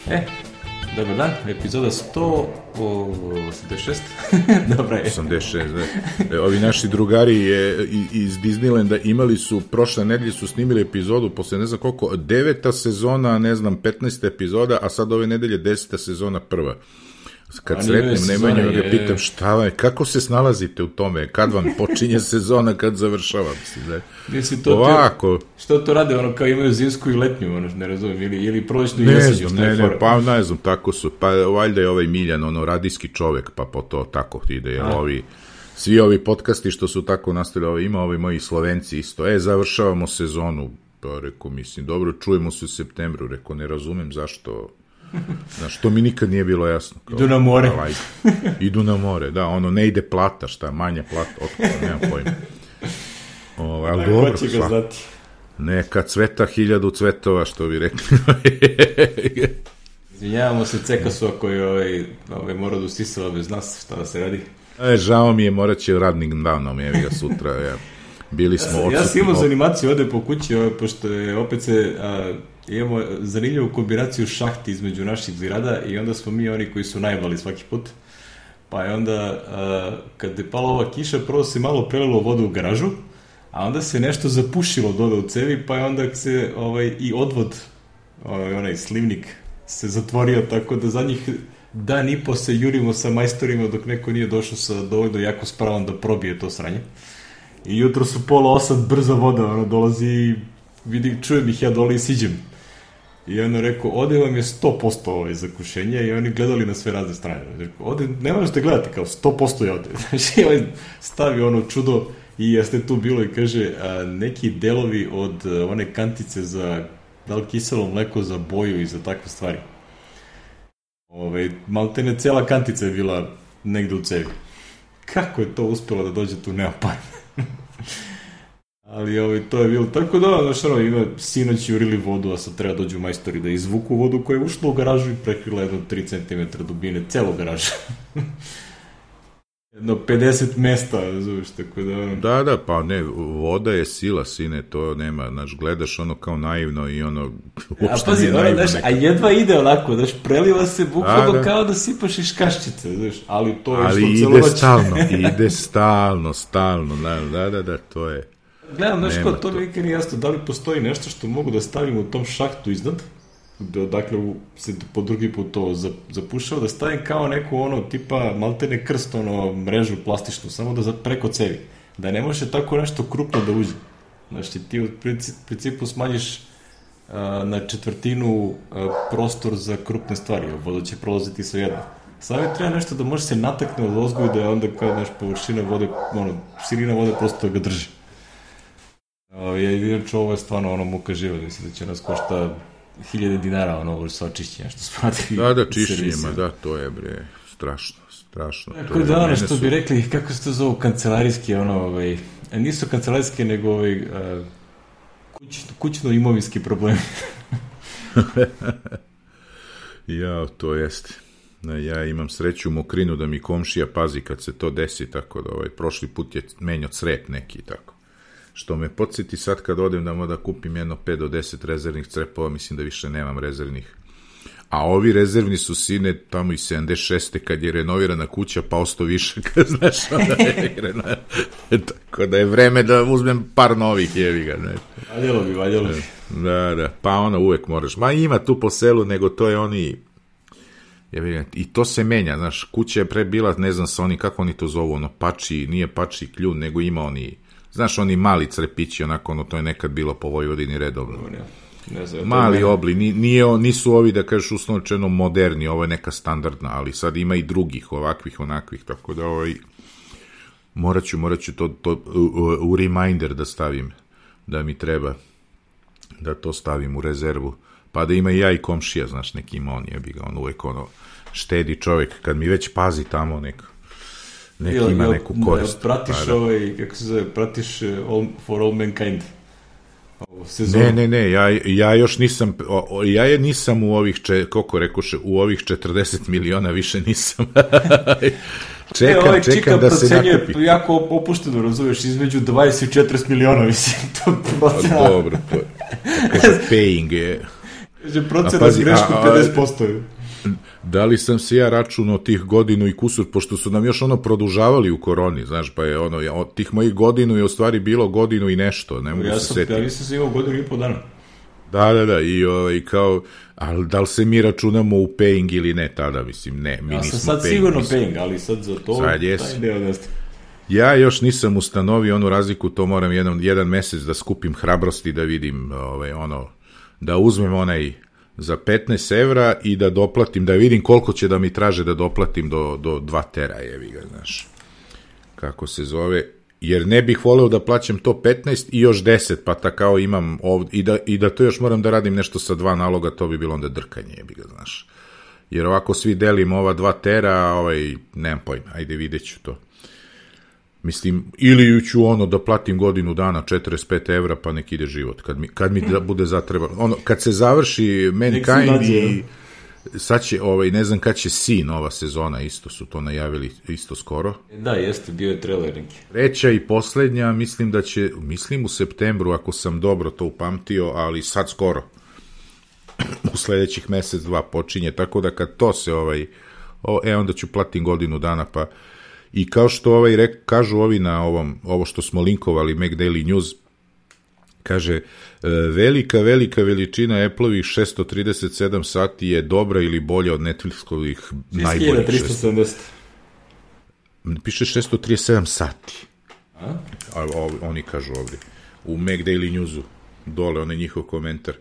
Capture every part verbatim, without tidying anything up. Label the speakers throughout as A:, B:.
A: E, dobar dan, epizoda sto osamdeset šest. Dobra je.
B: osamdeset šest, da. Ovi naši drugari je, iz Disneylanda imali su, prošle nedelje su snimili epizodu, posle ne znam koliko, deveta sezona, ne znam, petnaesta epizoda, a sad ove nedelje deseta sezona prva. Kad sretnem Nemanju, ga pitam šta vam je, kako se snalazite u tome, kad vam počinje sezona, kad završava, mislim, da.
A: Mislim, to ovako. Te, što to rade, ono, kao imaju zimsku i letnju, ono, ne razumijem, ili, ili prolećnu i jesenju, šta je fora?
B: Ne, pa ne znam, tako su, pa valjda je ovaj Miljan, ono, radijski čovek, pa po to tako ide, jer ovi, svi ovi podcasti što su tako nastavili, ovi, ima ovi moji Slovenci isto, e, završavamo sezonu, pa reko, mislim, dobro, čujemo se u septembru, reko, ne razumem zašto. Znaš, to mi nikad nije bilo jasno. Kao,
A: idu na more.
B: Like, idu na more, da, ono, ne ide plata, šta, manja plata, otkuda, nemam pojma. O, ali
A: da,
B: dobro,
A: ko će ga znati?
B: Neka cveta hiljadu cvetova, što bi rekli.
A: Izvinjavamo se Cekasu ako je ovaj, ovaj mora da usisala bez nas, šta da se radi.
B: E, žao mi je, morat će radnim danom, jevi ga sutra, ja. Bili smo odsutni.
A: Ja sam imao zanimaciju ovde po kući, ovaj, pošto je opet se... A, imamo zanimljivu kombinaciju šahti između naših zgrada i onda smo mi oni koji su najbali svaki put. Pa je onda, uh, kad je pala ova kiša, prvo se malo prelilo vodu u garažu, a onda se nešto zapušilo dole u cevi, pa je onda se ovaj, i odvod, ovaj, onaj slivnik, se zatvorio, tako da zadnjih dan i po se jurimo sa majstorima dok neko nije došao sa dovoljno jako spravom da probije to sranje. I jutro su pola osam brza voda, ono, dolazi i vidim, čujem ih ja dole i siđem. I ono rekao, ovde vam je sto posto ovaj zakušenje i oni gledali na sve razne strane. Rekao, ovde ne možete gledati, kao sto posto je ovde. Znači, ovaj stavi ono čudo i jeste tu bilo i kaže, a, neki delovi od a, one kantice za, da li kiselo mleko za boju i za takve stvari. Ove, maltene cela kantica je bila negde u cevi. Kako je to uspelo da dođe tu, nema pojma. Ali ovaj, to je bilo tako da, znaš, ono, ima sinoć jurili vodu, a sad treba dođu majstori da izvuku vodu koja je ušla u garažu i prekrila jedno tri centimetra dubine, celo garaža. Jedno pedeset mesta, znaš, tako da... Ono...
B: Da, da, pa ne, voda je sila, sine, to nema, znaš, gledaš ono kao naivno i ono...
A: A pazi, ono, znaš, a jedva ide onako, znaš, preliva se bukvalno da. Kao da sipaš iz kaščice, znaš, ali to je
B: ali
A: što
B: ide
A: celovač...
B: stalno, ide stalno, stalno, da, da, da, da, to je...
A: Gledam, znaš ko, to mi nikad nije jasno, da li postoji nešto što mogu da stavim u tom šahtu iznad, dakle se po drugi put to zapušao, da stavim kao neku ono tipa maltene krst, ono mrežu plastičnu, samo da za preko cevi, da ne može tako nešto krupno da uđe. Znači ti u principu smanjiš a, na četvrtinu a, prostor za krupne stvari, a voda će prolaziti sve jedno. Samo je treba nešto da može se natakne od ozgo i da je onda kao naš površina vode, ono, širina vode prosto ga drži. Ja vidim, ovo je stvarno ono muka živa, mislim da će nas košta hiljade dinara, ono, ovo sa očišćenja, što smati.
B: Da, da, čišćenjima, da, to je, bre, strašno, strašno.
A: Tako da, ono, što su... bi rekli, kako se to zovu, kancelarijski, ono, ovaj, nisu kancelarijski, nego, ovaj, uh, kućno, kućno-imovinski problemi.
B: Ja, to jeste. Ja imam sreću u Mokrinu da mi komšija pazi kad se to desi, tako da, ovaj, prošli put je menjao crep neki, tako. Što me podsjeti sad kad odem da da kupim jedno pet do deset rezervnih crepova, mislim da više nemam rezervnih. A ovi rezervni su, sine, tamo i sedamdeset šeste kad je renovirana kuća, pa osto više, kad znaš, onda je tako da je vreme da uzmem par novih, jevi ga, ne.
A: Valjalo bi, valjalo bi.
B: Da, da, pa ona uvek moraš. Ma ima tu po selu, nego to je oni... Ja, i to se menja, znaš, kuća je pre bila, ne znam sa oni, kako oni to zovu, ono, pači, nije pači kljun, nego ima oni... Znaš, oni mali crepići, onako, ono, to je nekad bilo po Vojvodini redovno.
A: Ne znam,
B: mali obli, nije, nisu ovi, da kažeš, uslovno moderni, ovo je neka standardna, ali sad ima i drugih, ovakvih, onakvih, tako da, ovaj, morat ću, morat ću to, to u, u reminder da stavim, da mi treba, da to stavim u rezervu, pa da ima i ja i komšija, znaš, neki ima on, jebi ga, on uvek, ono, štedi čovjek, kad mi već pazi tamo neko, neki ima jel, neku korist.
A: Pratiš pa, ovaj, kako se zove, pratiš all, For All Mankind?
B: Ne, ne, ne, ja, ja još nisam, o, ja je nisam u ovih, če, koliko rekoše, u ovih četrdeset miliona više nisam. čekam,
A: ne, ovaj
B: čekam da se nakupi.
A: Jako opušteno, razumiješ, između dvadeset i četrdeset miliona, mislim, to procena.
B: Dobro, to je, kaže, paying je.
A: Kaže, procena s grešku pedeset posto.
B: Da li sam se ja računao tih godinu i kusur, pošto su nam još ono produžavali u koroni, znaš, pa je ono, od tih mojih godinu je u stvari bilo godinu i nešto, ne mogu
A: ja
B: se
A: sam,
B: setiti.
A: Ja nisam se imao godinu i po dana.
B: Da, da, da, i, o, i kao, ali da li se mi računamo u paying ili ne tada, mislim, ne, mi
A: ja
B: nismo
A: sam sad
B: paying,
A: sigurno
B: mislim.
A: paying, ali sad za to,
B: sad
A: taj deo nestaje.
B: Ja još nisam ustanovio onu razliku, to moram jedan, jedan mesec da skupim hrabrosti da vidim, ovaj, ono, da uzmem onaj za petnaest evra i da doplatim, da vidim koliko će da mi traže da doplatim do, do dva tera, jevi ga, znaš, kako se zove, jer ne bih voleo da plaćam to petnaest i još deset, pa tako imam ovdje, i da, i da to još moram da radim nešto sa dva naloga, to bi bilo onda drkanje, jebi ga, znaš, jer ovako svi delimo ova dva tera, ovaj, nemam pojma, ajde vidjet ću to. Mislim, ili ću ono da platim godinu dana četrdeset pet evra pa nek ide život, kad mi, kad mi da bude zatreba. Ono, kad se završi Mankind i sad će, ovaj, ne znam kad će Si nova sezona, isto su to najavili isto skoro.
A: Da, jeste, bio je trailer neki.
B: Treća i poslednja, mislim da će, mislim u septembru, ako sam dobro to upamtio, ali sad skoro. U sledećih mesec, dva počinje, tako da kad to se, ovaj, o, e, onda ću platim godinu dana, pa i kao što ovaj rek, kažu ovi na ovom, ovo što smo linkovali, Mac Daily News, kaže, velika, velika veličina Apple-ovih šesto trideset sedam sati je dobra ili bolja od Netflixovih najboljih
A: tristo sedamdeset.
B: Piše šesto trideset sedam sati.
A: A?
B: A, o, oni kažu ovdje. U Mac Daily Newsu. Dole, onaj njihov komentar.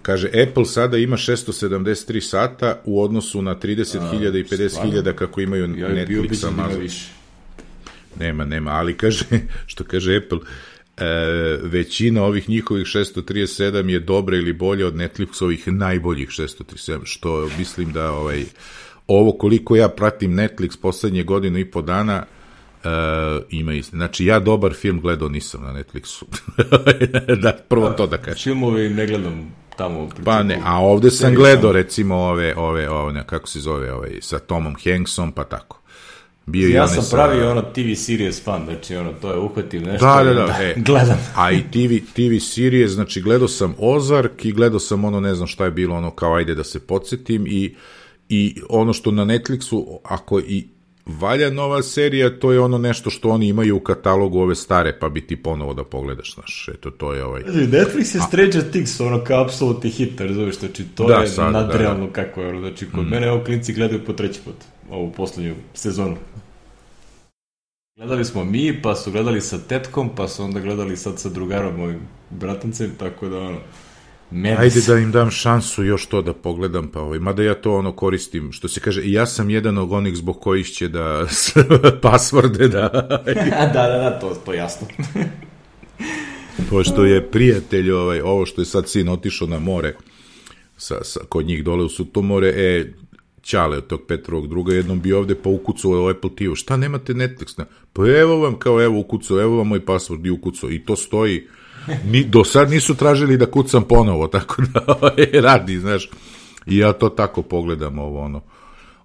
B: Kaže, Apple sada ima šesto sedamdeset tri sata u odnosu na trideset hiljada i pedeset hiljada kako imaju
A: ja
B: Netflix, Amazon. Nema, nema, ali kaže, što kaže Apple, e, većina ovih njihovih šesto trideset sedam je dobra ili bolja od Netflixovih najboljih šesto trideset sedam, što mislim da ovaj, ovo koliko ja pratim Netflix poslednje godinu i po dana, Uh, ima isti. Znači, ja dobar film gledao nisam na Netflixu. Da, prvo to da kažem.
A: Filmovi ne gledam tamo.
B: Pa ne, a ovde sam gledao recimo ove, ove, ove, kako se zove, ovaj, sa Tomom Hanksom, pa tako. Bio
A: ja
B: i
A: sam
B: sa...
A: pravi ono T V series fan, znači ono, to je uhvatim nešto.
B: Da, da, da, da e,
A: gledam.
B: A i T V, T V series, znači gledao sam Ozark i gledao sam ono, ne znam šta je bilo, ono kao ajde da se podsjetim i, i ono što na Netflixu, ako i valja nova serija, to je ono nešto što oni imaju u katalogu ove stare, pa bi ti ponovo da pogledaš, znaš, eto, to je ovaj...
A: Netflix je Stranger Things, ono kao apsolutni hit, razumiješ, znači, to da, je sad, nadrealno da, da. Kako je, znači, kod mm. mene ovo klinci gledaju po treći put, ovu poslednju sezonu. Gledali smo mi, pa su gledali sa tetkom, pa su onda gledali sad sa drugarom, mojim bratancem, tako da, ono... Medis.
B: Ajde da im dam šansu još to da pogledam, pa ovaj, mada ja to ono koristim, što se kaže, ja sam jedan od onih zbog kojih će da pasvorde da...
A: da, da, da, to, to jasno.
B: Pošto je prijatelj, ovaj, ovo što je sad sin otišao na more, sa, sa, kod njih dole u Sutomore, e, Ćale od tog Petrovog druga, jednom bi ovde pa ukucao Apple T V, šta nemate Netflix? Ne? Pa evo vam, kao evo ukucao, evo vam moj password i ukucao, i to stoji. Ni, do sad nisu tražili da kucam ponovo, tako da je radi, znaš. I ja to tako pogledam ovo, ono.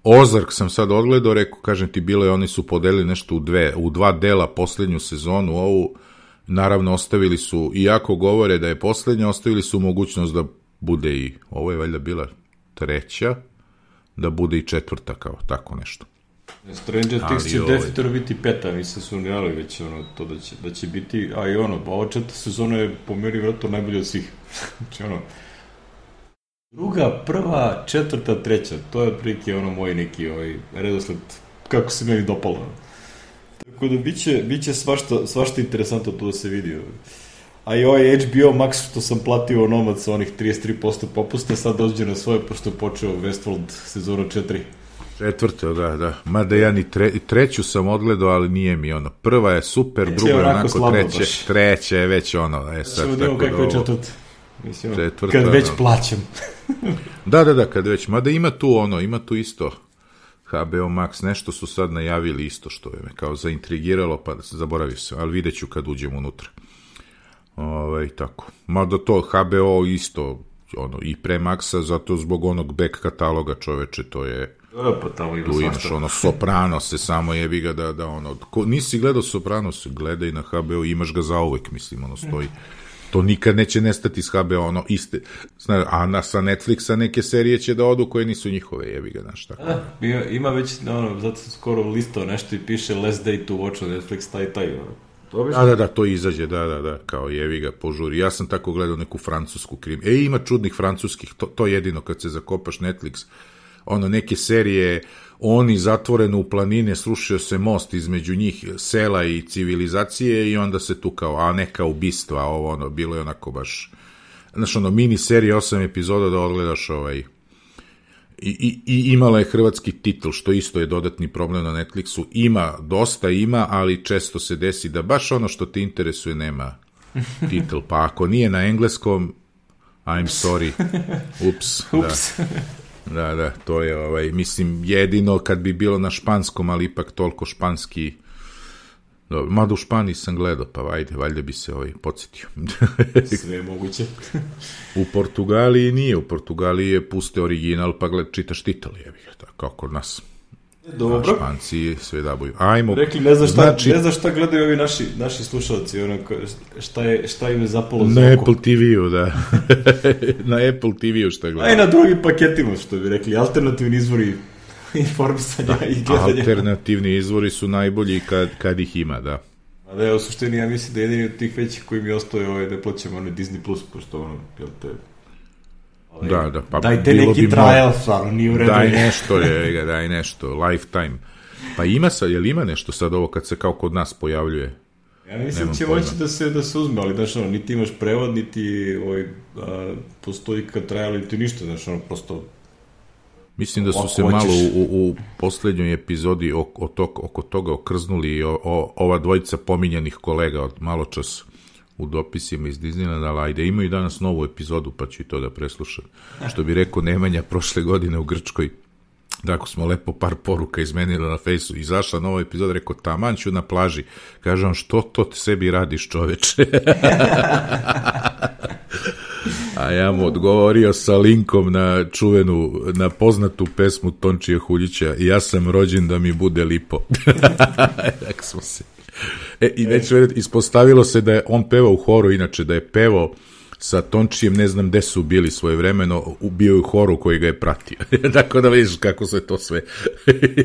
B: Ozark sam sad odgledao, rekao, kažem ti, bilo je, oni su podelili nešto u dve, u dva dela poslednju sezonu, ovu, naravno, ostavili su, iako govore da je poslednja, ostavili su mogućnost da bude i, ovo je valjda bila treća, da bude i četvrta, kao tako nešto.
A: Stranger Things će ovaj... definitivno biti peta, mislim su unijali već ono, to da će, da će biti, a i ono, ova četvrta sezona je po meri vratno najbolje od svih. Znači ono, druga, prva, četvrta, treća, to je otprilike ono moj neki ovaj, redosled, kako se meni dopalo. Tako da biće, biće svašta, svašta interesantno to da se vidi. A i ovaj H B O Max što sam platio nomad sa onih trideset tri posto popusta, sad dođe na svoje, pošto je počeo Westworld sezona četiri.
B: Četvrto, da, da. Mada ja ni tre, treću sam odgledao, ali nije mi ono. Prva je super, treće druga je onako, slabo, treće, baš. Treća je već ono. E, sad,
A: tako da kako je četvrta. Mislim,
B: četvrta,
A: kad već
B: no.
A: plaćam.
B: da, da, da, kad već. Mada ima tu ono, ima tu isto H B O Max, nešto su sad najavili isto što je me kao zaintrigiralo, pa zaboravio se, ali vidjet ću kad uđem unutra. Ovaj, tako. Mada to H B O isto, ono, i pre Maxa, zato zbog onog back kataloga, čoveče, to je...
A: Da, pa tamo ima
B: tu imaš ono Sopranos se samo jebi ga da, da ono ko, nisi gledao Sopranos, gledaj na H B O, imaš ga zauvek, mislim, ono stoji To nikad neće nestati s H B O, ono, iste, zna, a na, sa Netflixa neke serije će da odu koje nisu njihove, jebi ga, znaš, tako.
A: Da, ima, ima već, ono, zato sam skoro listao nešto i piše Last Day to Watch on Netflix, taj, taj, ono.
B: Da, da, da, to izađe, da, da, da, kao jevi ga, požuri. Ja sam tako gledao neku francusku krim. E, ima čudnih francuskih, to, to jedino kad se zakopaš Netflix, ono, neke serije, oni zatvoreno u planine, srušio se most između njih, sela i civilizacije i onda se tu kao, a neka ubistva, ovo, ono, bilo je onako baš, znaš, ono, mini serije, osam epizoda da odgledaš ovaj, I, i, i imala je hrvatski titl, što isto je dodatni problem na Netflixu. Ima, dosta ima, ali često se desi da baš ono što te interesuje nema titl. Pa ako nije na engleskom, I'm sorry. Ups.
A: Ups.
B: Da. da, da, to je, ovaj, mislim, jedino kad bi bilo na španskom, ali ipak toliko španski. Dobro, mada u Španiji sam gledao, pa vajde, valjda bi se ovaj podsjetio.
A: Sve je moguće.
B: U Portugaliji nije, u Portugaliji je puste original, pa gled, čitaš titl, jebi ga, tako kao kod nas.
A: Dobro.
B: A Španci sve dabuju. Ajmo.
A: Rekli, ne znaš šta,
B: znači,
A: ne znaš šta gledaju ovi naši, naši slušalci, ono, šta, je, šta im je zapalo za
B: na
A: oko.
B: Apple te ve-u, da. Na Apple te ve-u šta gledaju.
A: A i na drugim paketima, što bi rekli, alternativni izvori informisanja da, i gledanja.
B: Alternativni izvori su najbolji kad, kad ih ima, da.
A: A da je u suštini, ja mislim da jedini od tih većih koji mi ostaje ovaj, da plaćamo onaj Disney Plus, pošto ono, jel te... Ovaj,
B: da, da, pa
A: dajte neki bi trial, stvarno, nije u redu.
B: Daj nešto, je, daj nešto, lifetime. Pa ima sad, jel ima nešto sad ovo kad se kao kod nas pojavljuje?
A: Ja mislim da će moći da se, da se uzme, ali znaš, ono, niti imaš prevod, niti ovaj, a, postoji kad trial, niti ništa, znaš, ono, prosto...
B: Mislim da su o, se hoćeš. malo u, u poslednjoj epizodi o, o tog, oko toga okrznuli o, o, ova dvojica pominjanih kolega od malo čas u dopisima iz Disneylanda, ali ajde, imaju danas novu epizodu, pa ću i to da preslušam. Što bi rekao Nemanja prošle godine u Grčkoj, tako smo lepo par poruka izmenili na fejsu, izašla nova epizoda, rekao, taman ću na plaži. Kaže on, što to sebi radiš, čoveče? A ja mu odgovorio sa linkom na čuvenu, na poznatu pesmu Tončija Huljića, ja sam rođen da mi bude lipo. Tako smo se. E, i već ispostavilo se da je on pevao u horu, inače da je pevao sa Tončijem, ne znam gde su bili svojevremeno, bio je u horu koji ga je pratio. Tako da vidiš kako se to sve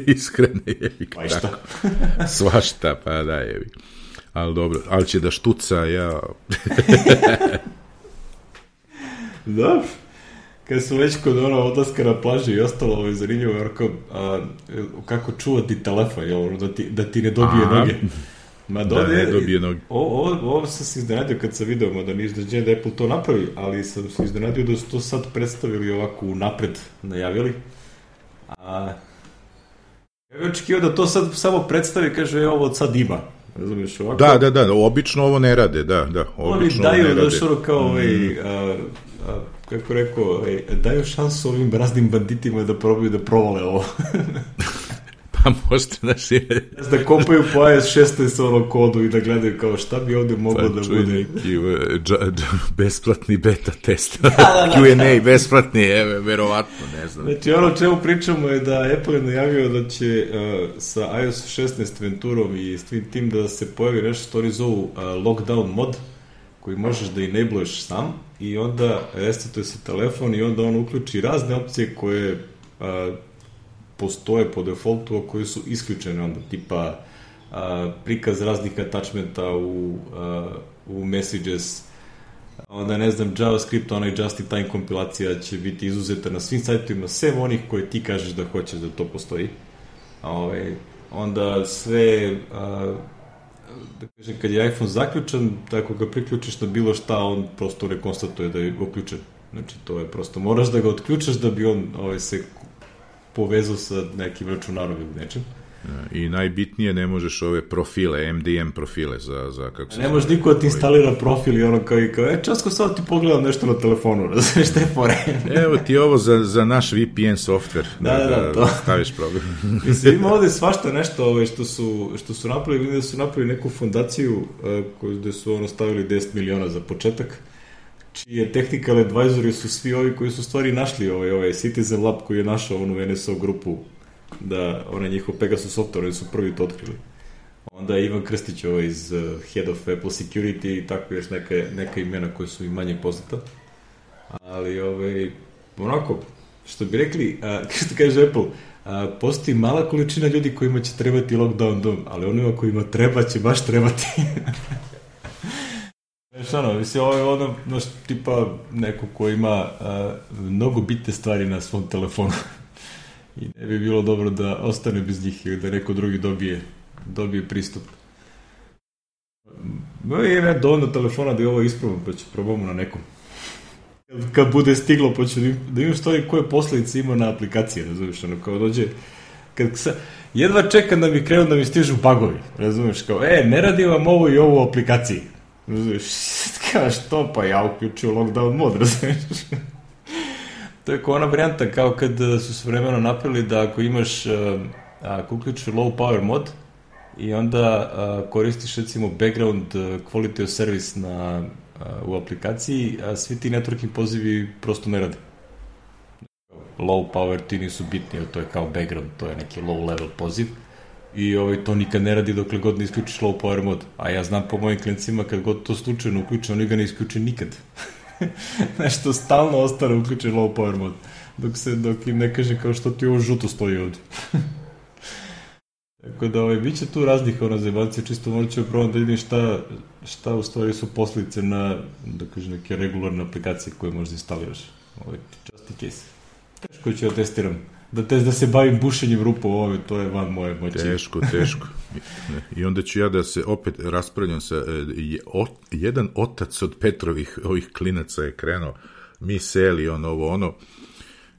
B: iskrene jevi.
A: Pa i šta?
B: Svašta, pa da jevi. Ali dobro, ali će da štuca, ja...
A: Da, kad su već kod ono odlaska na plaži i ostalo ovo je zanimljivo, Jorko, a, kako čuvati telefon, jel, da, ti, da ti ne dobije Aha. noge. Ma
B: da, ne dobije noge.
A: Ovo, ovo, ovo sam se iznenadio kad sam video, da niš da Apple to napravi, ali sam se iznenadio da su to sad predstavili ovako napred najavili. A ja bih očekio da to sad samo predstavi, kaže, e, ovo od sad ima. Razumiješ, ovako?
B: Da, da, da, obično ovo ne rade, da, da.
A: Obično oni daju, daš ono kao, ovaj, mm. a, a, kako rekao, ej, daju šansu ovim raznim banditima da probaju da provale ovo.
B: Pa možda, znaš, je...
A: Da kopaju po A S šesnaest ono kodu i da gledaju kao šta bi ovde moglo pa, da bude.
B: Neki uh, dž, dž, besplatni beta test. Da, da, da. Q and A besplatni, evo, verovatno, ne znam.
A: Znači, ono o čemu pričamo je da Apple je najavio da će uh, sa A S šesnaest Venturom i s tim da se pojavi nešto što oni zovu uh, lockdown mod, koji možeš da enabluješ sam i onda resetuje se telefon i onda on uključi razne opcije koje uh, postoje po defaultu, a koje su isključene onda, tipa uh, prikaz raznih attachmenta u, uh, u Messages, onda ne znam, JavaScript, onaj just-in-time kompilacija će biti izuzeta na svim sajtovima, sem onih koje ti kažeš da hoćeš da to postoji. Ove, onda sve, uh, da kažem, kad je iPhone zaključan, tako ga priključiš na bilo šta, on prosto rekonstatuje da je uključen. Znači, to je prosto, moraš da ga otključaš da bi on ove, se povezao sa nekim računarom ili nečim.
B: I najbitnije, ne možeš ove profile, M D M profile za, za kako se...
A: Ne može niko da ti instalira profil i ono kao i kao, e, časko sad ti pogledam nešto na telefonu, razumiješ, šta je fore?
B: Evo ti ovo za, za naš V P N software, da, da, da, da staviš problem.
A: Mislim, ima ovde svašta nešto ove, što su, što su napravili, vidim da su napravili neku fondaciju uh, koju gde su ono stavili deset miliona za početak, čije technical advisori su svi ovi koji su stvari našli ovaj, ovaj Citizen Lab koji je našao onu N S O grupu da onaj njihov Pegasus software, oni su prvi to otkrili. Onda Ivan Krstić ovaj iz uh, Head of Apple Security i tako još neka, neka imena koje su i manje poznata. Ali, ovaj, onako, što bi rekli, uh, što kaže Apple, uh, postoji mala količina ljudi kojima će trebati lockdown dom, ali onima kojima treba će baš trebati. Znaš, ono, mislim, ovo je ono, znaš, tipa neko ko ima uh, mnogo bitne stvari na svom telefonu. I ne bi bilo dobro da ostane bez njih ili da neko drugi dobije, dobije pristup. No, imam ja dovoljno telefona da je ovo isprobam, pa ću probamo na nekom. Kad bude stiglo, pa ću da imam stvari koje posljedice ima na aplikacije, razumiješ, ono, kao dođe, kad sa, jedva čekam da mi krenu da mi stižu bugovi, razumiješ, kao, e, ne radi vam ovo i ovo u aplikaciji, razumiješ, kao što, pa ja uključio lockdown mod, razumiješ. To je kao ona varijanta, kao kad su s vremenom napravili da ako imaš, ako uključiš low power mod i onda koristiš recimo background quality of service na, u aplikaciji, a svi ti networking pozivi prosto ne rade. Low power ti nisu bitni, to je kao background, to je neki low level poziv i ovaj, to nikad ne radi dokle god ne isključiš low power mod. A ja znam po mojim klincima kad god to slučajno uključe, oni ga ne isključe nikad. Nešto stalno ostane uključen low power mod dok se, dok im ne kaže kao što ti ovo žuto stoji ovdje. Tako da ovaj, bit će tu raznih ono zajebancije, čisto morat ću probam da vidim šta, šta u stvari su posljedice na, da kažem, neke regularne aplikacije koje možda instaliraš. Ovaj, just in case. Teško ću ja testiram. Da, test, da se bavim bušenjem rupa u ovoj, to je van moje moći.
B: Teško, teško. I onda ću ja da se opet raspravljam sa, je, o, jedan otac od Petrovih ovih klinaca je krenuo, mi seli, ono, ovo, ono,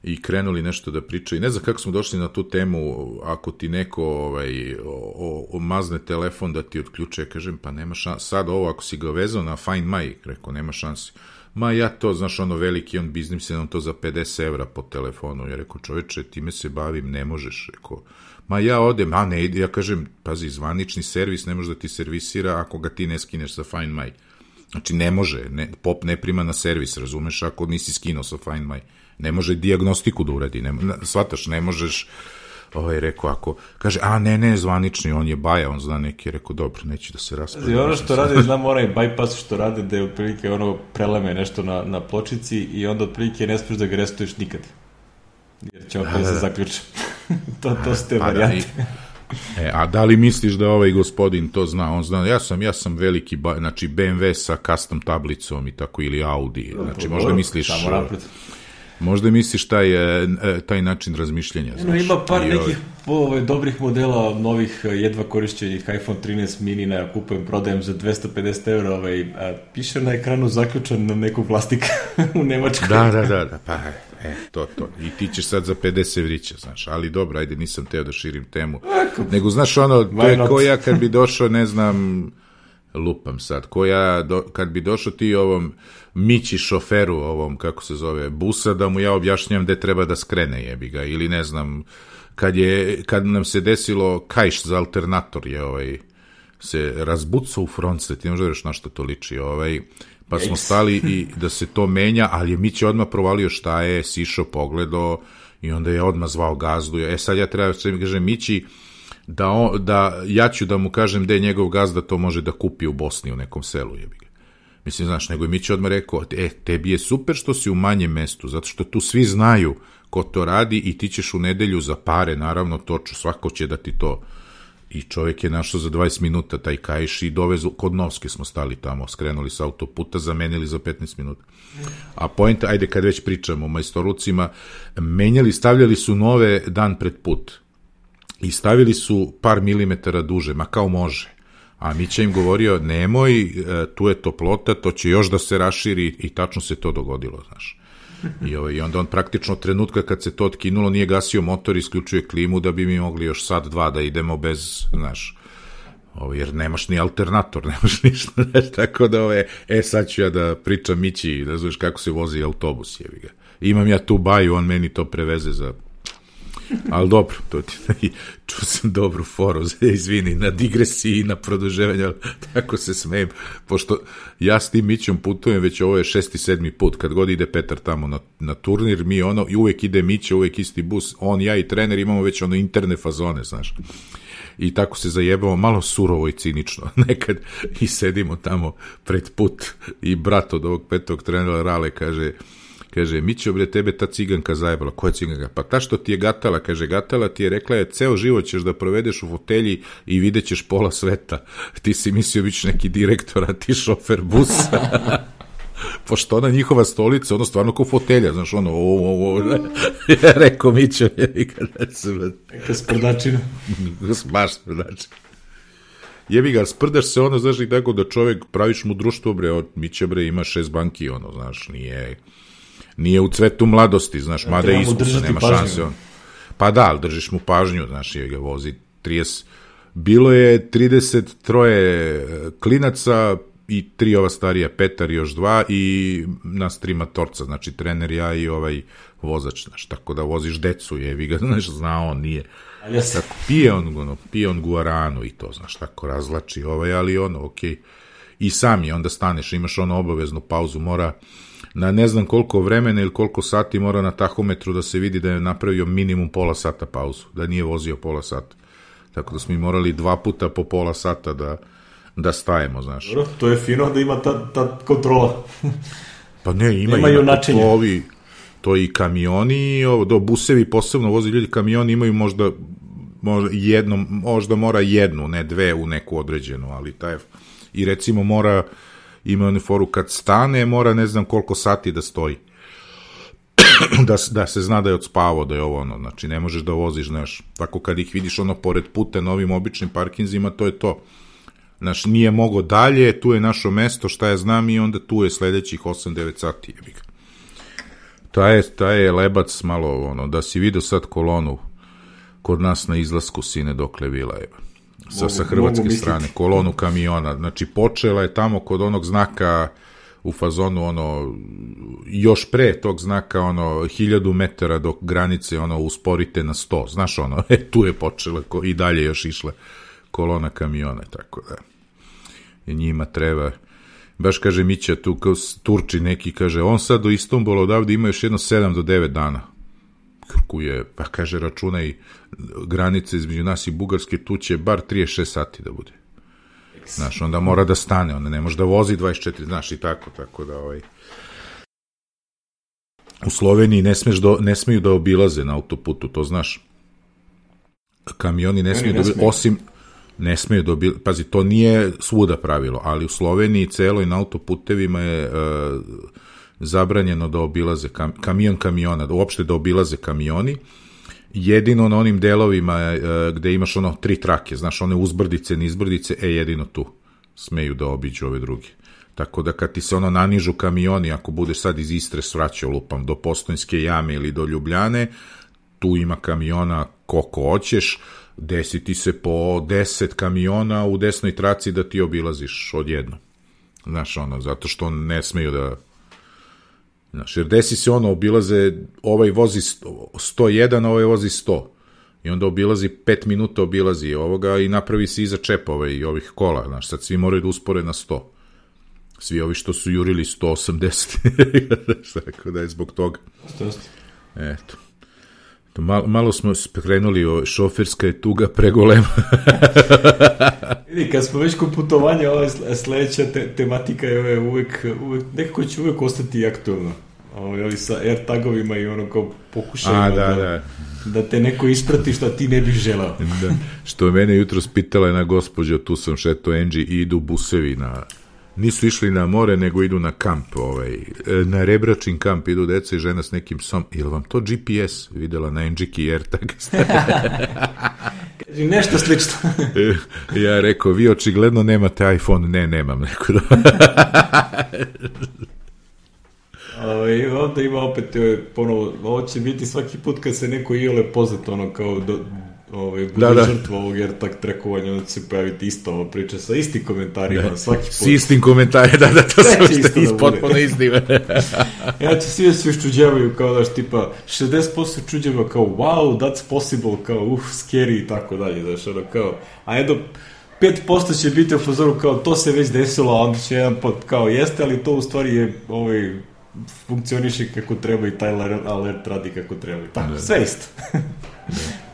B: i krenuli nešto da pričaju. Ne znam kako smo došli na tu temu, ako ti neko ovaj, o, o, mazne telefon da ti otključe, kažem, pa nema šanse. Sad ovo, ako si ga vezao na Find My, rekao, nema šanse. Ma ja to, znaš, ono veliki, on biznis je nam to za pedeset evra po telefonu. Ja rekao, čoveče, time se bavim, ne možeš. Rekao, ma ja odem, a ne, ja kažem, pazi, zvanični servis ne može da ti servisira ako ga ti ne skineš sa Find My. Znači, ne može, ne, pop ne prima na servis, razumeš, ako nisi skinuo sa Find My. Ne može dijagnostiku da uradi, ne, shvataš, ne možeš, ovaj, rekao, ako, kaže, a ne, ne, zvanični, on je baja, on zna neki, rekao, dobro, neće da se raspravlja.
A: I ono što rade, znam onaj bypass što rade, da je otprilike ono preleme nešto na, na pločici i onda otprilike ne smiješ da ga restuješ nikad. Jer će on da se zaključi. to, to su te pa varijante. Da,
B: i, e, a da li misliš da ovaj gospodin to zna? On zna, ja sam, ja sam veliki, ba, znači, B M W sa custom tablicom i tako, ili Audi, znači, možda misliš...
A: Samo napred.
B: Možda misliš taj, taj način razmišljenja.
A: No, znaš, ima par nekih ovaj, dobrih modela, novih jedva korišćenih iPhone trinaest mini, ja kupujem, prodajem za dvesta pedeset evra, ovaj, a piše na ekranu zaključan na nekog plastika u Nemačkoj.
B: Da, da, da, da, pa e, to, to. I ti ćeš sad za pedeset evrića, znaš, ali dobro, ajde, nisam teo da širim temu. Ako, nego, znaš, ono, to je ko ja kad bi došao, ne znam, lupam sad, ko ja, do, kad bi došao ti ovom Mići šoferu ovom, kako se zove, busa, da mu ja objašnjam gde treba da skrene, jebi ga, ili ne znam, kad je, kad nam se desilo kajš za alternator je ovaj, se razbucao u fronce, ti ne možeš na što to liči, ovaj, pa smo stali i da se to menja, ali je Mići odmah provalio šta je, sišao, pogledao i onda je odmah zvao gazdu, e sad ja treba da mi kažem, Mići, da, on, da ja ću da mu kažem gde je njegov gazda, to može da kupi u Bosni u nekom selu, jebi ga. Mislim, znaš, nego je Mići odmah rekao, e, tebi je super što si u manjem mestu, zato što tu svi znaju ko to radi i ti ćeš u nedelju za pare, naravno, toču, svako će da ti to. I čovjek je našao za dvadeset minuta taj kajš i dovezu, kod Novske smo stali tamo, skrenuli sa autoputa, zamenili za petnaest minuta. A poenta, ajde kad već pričamo o majstorucima, menjali, stavljali su nove dan pred put i stavili su par milimetara duže, ma kao može. A Mića im govorio, nemoj, tu je toplota, to će još da se raširi i tačno se to dogodilo, znaš. I, ovaj, i onda on praktično trenutka kad se to otkinulo nije gasio motor, isključuje klimu da bi mi mogli još sat, dva da idemo bez, znaš, ovaj, jer nemaš ni alternator, nemaš ništa, znaš, tako da, ovaj, e, sad ću ja da pričam Mići, da znaš kako se vozi autobus, jevi ga. Imam ja tu baju, on meni to preveze za... Ali dobro, to ti, čuo sam dobru foru, izvini, na digresiji i na produževanju, ali tako se smejem, pošto ja s tim Mićom putujem, već ovo je šesti, sedmi put, kad god ide Petar tamo na, na turnir, mi ono, i uvek ide Mića, uvek isti bus, on, ja i trener imamo već ono interne fazone, znaš. i tako se zajebamo, malo surovo i cinično nekad, i sedimo tamo pred put i brat od ovog petog trenera Rale kaže, kaže, Mićo, bre, tebe ta ciganka zajebala. Koja ciganka? Pa ta što ti je gatala, kaže, gatala ti je, rekla je, ceo život ćeš da provedeš u fotelji i vidjet ćeš pola sveta. Ti si mislio bić neki direktor, a ti šofer busa. Pošto ona njihova stolica, ono stvarno kao fotelja, znaš, ono, ovo, ovo, ja rekao, Mićo, jebi ga,
A: neka sprdačina.
B: Baš sprdačina. Jebi ga, sprdaš se, ono, znaš, i tako da čovjek, praviš mu društvo, bre, od Mića, bre, ima šest banki, ono, znaš, nije... Nije u cvetu mladosti, znaš, mada je iskusan, nema šanse. On. Pa da, ali držiš mu pažnju, znaš, je ga vozi trideset. Bilo je trideset troje klinaca i tri ova starija, Petar i još dva, i nas tri matorca, znači trener, ja i ovaj vozač, znaš, tako da voziš decu, jevi ga, znaš, zna on, nije.
A: Yes.
B: Tako, pije on, ono, pije on guaranu i to, znaš, tako razlači ovaj, ali ono, okej. Okay. I sam je, onda staneš, imaš ono obaveznu pauzu, mora na ne znam koliko vremena ili koliko sati mora na tahometru da se vidi da je napravio minimum pola sata pauzu, da nije vozio pola sata. Tako da smo i morali dva puta po pola sata da, da stajemo, znaš.
A: Dobro, to je fino da ima ta, ta kontrola.
B: Pa ne, ima,
A: Nemaju
B: ima
A: načinje.
B: To, ovi, to i kamioni, ovo, do busevi posebno vozi ljudi, kamioni imaju možda, možda jedno, možda mora jednu, ne dve u neku određenu, ali taj, i recimo mora, ima onu foru kad stane, mora ne znam koliko sati da stoji. da, da se zna da je odspavao, da je ovo ono, znači ne možeš da voziš, znaš, tako kad ih vidiš ono pored puta na ovim običnim parkinzima, to je to. Znaš, nije mogo dalje, tu je našo mesto, šta ja znam, i onda tu je sledećih osam devet sati. Taj je, taj je lebac malo, ono, da si vidio sad kolonu kod nas na izlasku Sine dokle vila je. Sa, sa hrvatske strane, kolonu kamiona. Znači, počela je tamo kod onog znaka u fazonu, ono, još pre tog znaka, ono, hiljadu metara do granice, ono, usporite na sto. Znaš, ono, e, tu je počela i dalje još išla kolona kamiona, tako da. I njima treba, baš kaže Mića, tu kao Turči neki, kaže, on sad do Istanbula odavde ima još jedno sedam do devet dana. Kako je, pa kaže, računaj granice između nas i Bugarske, tu će bar trideset šest sati da bude. Znaš, onda mora da stane, onda ne može da vozi dvadeset četiri, znaš, i tako, tako da, ovaj... U Sloveniji ne, smeš do, ne smeju da obilaze na autoputu, to znaš. Kamioni ne smeju da obilaze, osim... Ne smeju da obilaze, pazi, to nije svuda pravilo, ali u Sloveniji celoj na autoputevima je... Uh, zabranjeno da obilaze kam, kamion kamiona, da uopšte da obilaze kamioni, jedino na onim delovima e, gde imaš ono tri trake, znaš, one uzbrdice, nizbrdice, e, jedino tu smeju da obiđu ove druge. Tako da kad ti se ono nanižu kamioni, ako bude sad iz Istre svraćao, lupam, do Postojnske jame ili do Ljubljane, tu ima kamiona koliko hoćeš, desi ti se po deset kamiona u desnoj traci da ti obilaziš odjedno. Znaš, ono, zato što ne smeju da... Znaš, jer desi se ono, obilaze, ovaj vozi sto jedan, ovaj vozi sto. I onda obilazi, pet minuta obilazi ovoga i napravi se iza čepova i ovih kola. Znaš, sad svi moraju da uspore na sto. Svi ovi što su jurili sto osamdeset. Tako da je zbog toga. Eto. Malo, malo smo krenuli o šoferska je tuga pregolema.
A: Vidi, kad smo već kod putovanja, ova sledeća te, tematika je uvek, uvek, nekako će uvek ostati aktualna. Ovi sa AirTagovima i ono kao pokušajima
B: da,
A: da,
B: da.
A: da te neko isprati što ti ne biš želao.
B: Da. Što mene jutro spitala jedna gospođa, tu sam šeto Enđi i idu busevi na... Nisu išli na more, nego idu na kamp, ovaj, na Rebračin kamp, idu deca i žena s nekim psom. Ili vam to G P S videla na Enđiki AirTag?
A: Kaži, nešto slično.
B: Ja rekao, vi očigledno nemate iPhone. Ne, nemam. Rekao.
A: Ovaj, onda ima opet, ponovo, ovo će biti svaki put kad se neko iole poznat, ono kao... Do, Ovaj, bude da, da. žrtva ovog AirTag trekovanja, onda će se pojaviti isto ova priča sa istim komentarima, da. svaki put.
B: S istim komentarima, da, da, to su što je potpuno istim.
A: Ja će svi se iščuđevaju kao daš, tipa, šezdeset posto čuđeva kao, wow, that's possible, kao, uf, scary i tako dalje, daš, ono kao, a jedno, pet posto će biti u fazoru kao, to se već desilo, a onda će jedan pot kao, jeste, ali to u stvari je, ovaj, funkcioniše kako treba i taj alert radi kako treba. Tako, da. Sve isto.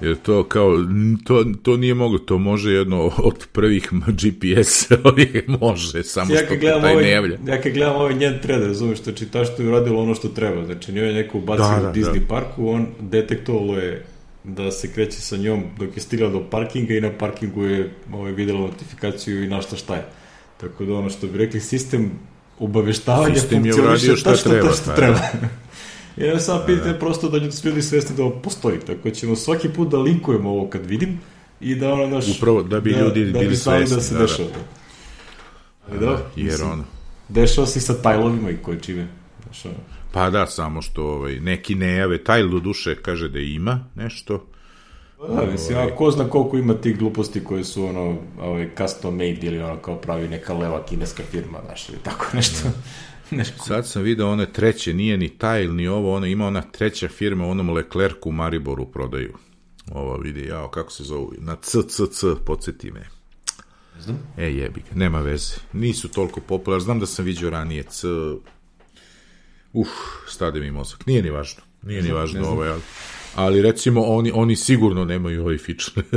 B: Jer to kao, to, to nije moglo, to može jedno od prvih G P S ovih može, samo
A: ja
B: što taj
A: ovaj,
B: ne javlja.
A: Ja kad gledam ovaj njen thread, razumiješ, što čitaš to je uradilo ono što treba, znači nije neko ubacio
B: da, da,
A: u Disney
B: da.
A: parku, on detektovalo je da se kreće sa njom dok je stigla do parkinga i na parkingu je ovaj, vidjela notifikaciju i našta šta je. Tako da ono što bi rekli, sistem obaveštavanja
B: sistem
A: funkcioniše
B: šta
A: tačno
B: treba,
A: to što treba. I ja sam pitam prosto da su ljudi svesni da ovo postoji, tako ćemo svaki put da linkujemo ovo kad vidim i da ono naš...
B: Upravo, da bi da, ljudi
A: da
B: bili
A: bi
B: svesni.
A: Da se
B: da,
A: dešava. Da. Da, da,
B: jer
A: mislim, ono...
B: Dešao
A: se sa tajlovima i koje čime. Dešao.
B: Pa da, samo što ovaj, neki ne jave. Tajl do duše kaže da ima nešto.
A: Da, mislim, a ko zna koliko ima tih gluposti koje su ono, ovaj, custom made ili ono kao pravi neka leva kineska firma, znaš, ili tako nešto. nešto.
B: Sad sam vidio one treće, nije ni Tajl, ni ovo, ono, ima ona treća firma, onom Leclercu u Mariboru prodaju. Ovo vidi, jao, kako se zovu, na C C C, podsjeti me.
A: Ne znam.
B: E, jebi ga, nema veze. Nisu toliko popularni, znam da sam vidio ranije C... Uf, stade mi mozak. Nije ni važno, nije ni važno ovo, ali... Ali recimo oni, oni sigurno nemaju ovaj feature.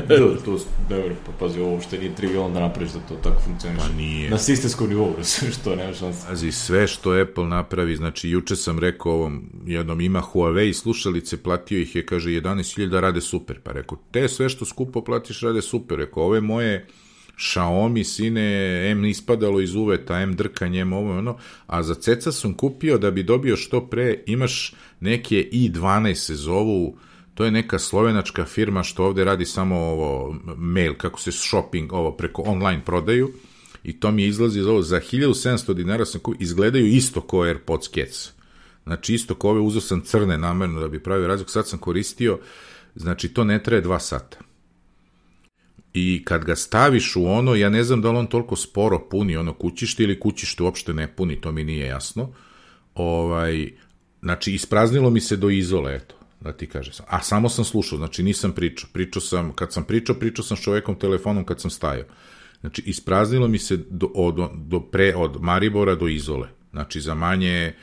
A: da, to dobro, pa pazi, ovo uopšte nije trivialno da napraviš da to tako funkcioniše.
B: Pa nije.
A: Na sistemskom nivou, što nema šanse.
B: Pazi, sve što Apple napravi, znači juče sam rekao ovom jednom ima Huawei slušalice, platio ih je, kaže, jedanaest hiljada rade super, pa rekao, te sve što skupo platiš rade super, rekao, ove moje Xiaomi sine, M ispadalo iz uveta, M drkanjem, ovo ono, a za ceca sam kupio da bi dobio što pre, imaš neke i dvanaest se zovu, to je neka slovenačka firma što ovde radi samo ovo mail, kako se shopping, ovo preko online prodaju, i to mi je izlazi iz ovo, za hiljadu sedamsto dinara sam kupio, izgledaju isto ko AirPods Cats, znači isto ko ove, uzeo sam crne namerno da bi pravio razlog, sad sam koristio, znači to ne traje dva sata. I kad ga staviš u ono, ja ne znam da li on toliko sporo puni ono kućište ili kućište uopšte ne puni, to mi nije jasno. Ovaj, znači, ispraznilo mi se do izole, eto, da ti kažem. A samo sam slušao, znači nisam pričao. Pričao sam, kad sam pričao, pričao sam s čovekom telefonom kad sam stajao. Znači, ispraznilo mi se do, od, do pre, od Maribora do izole. Znači, za manje,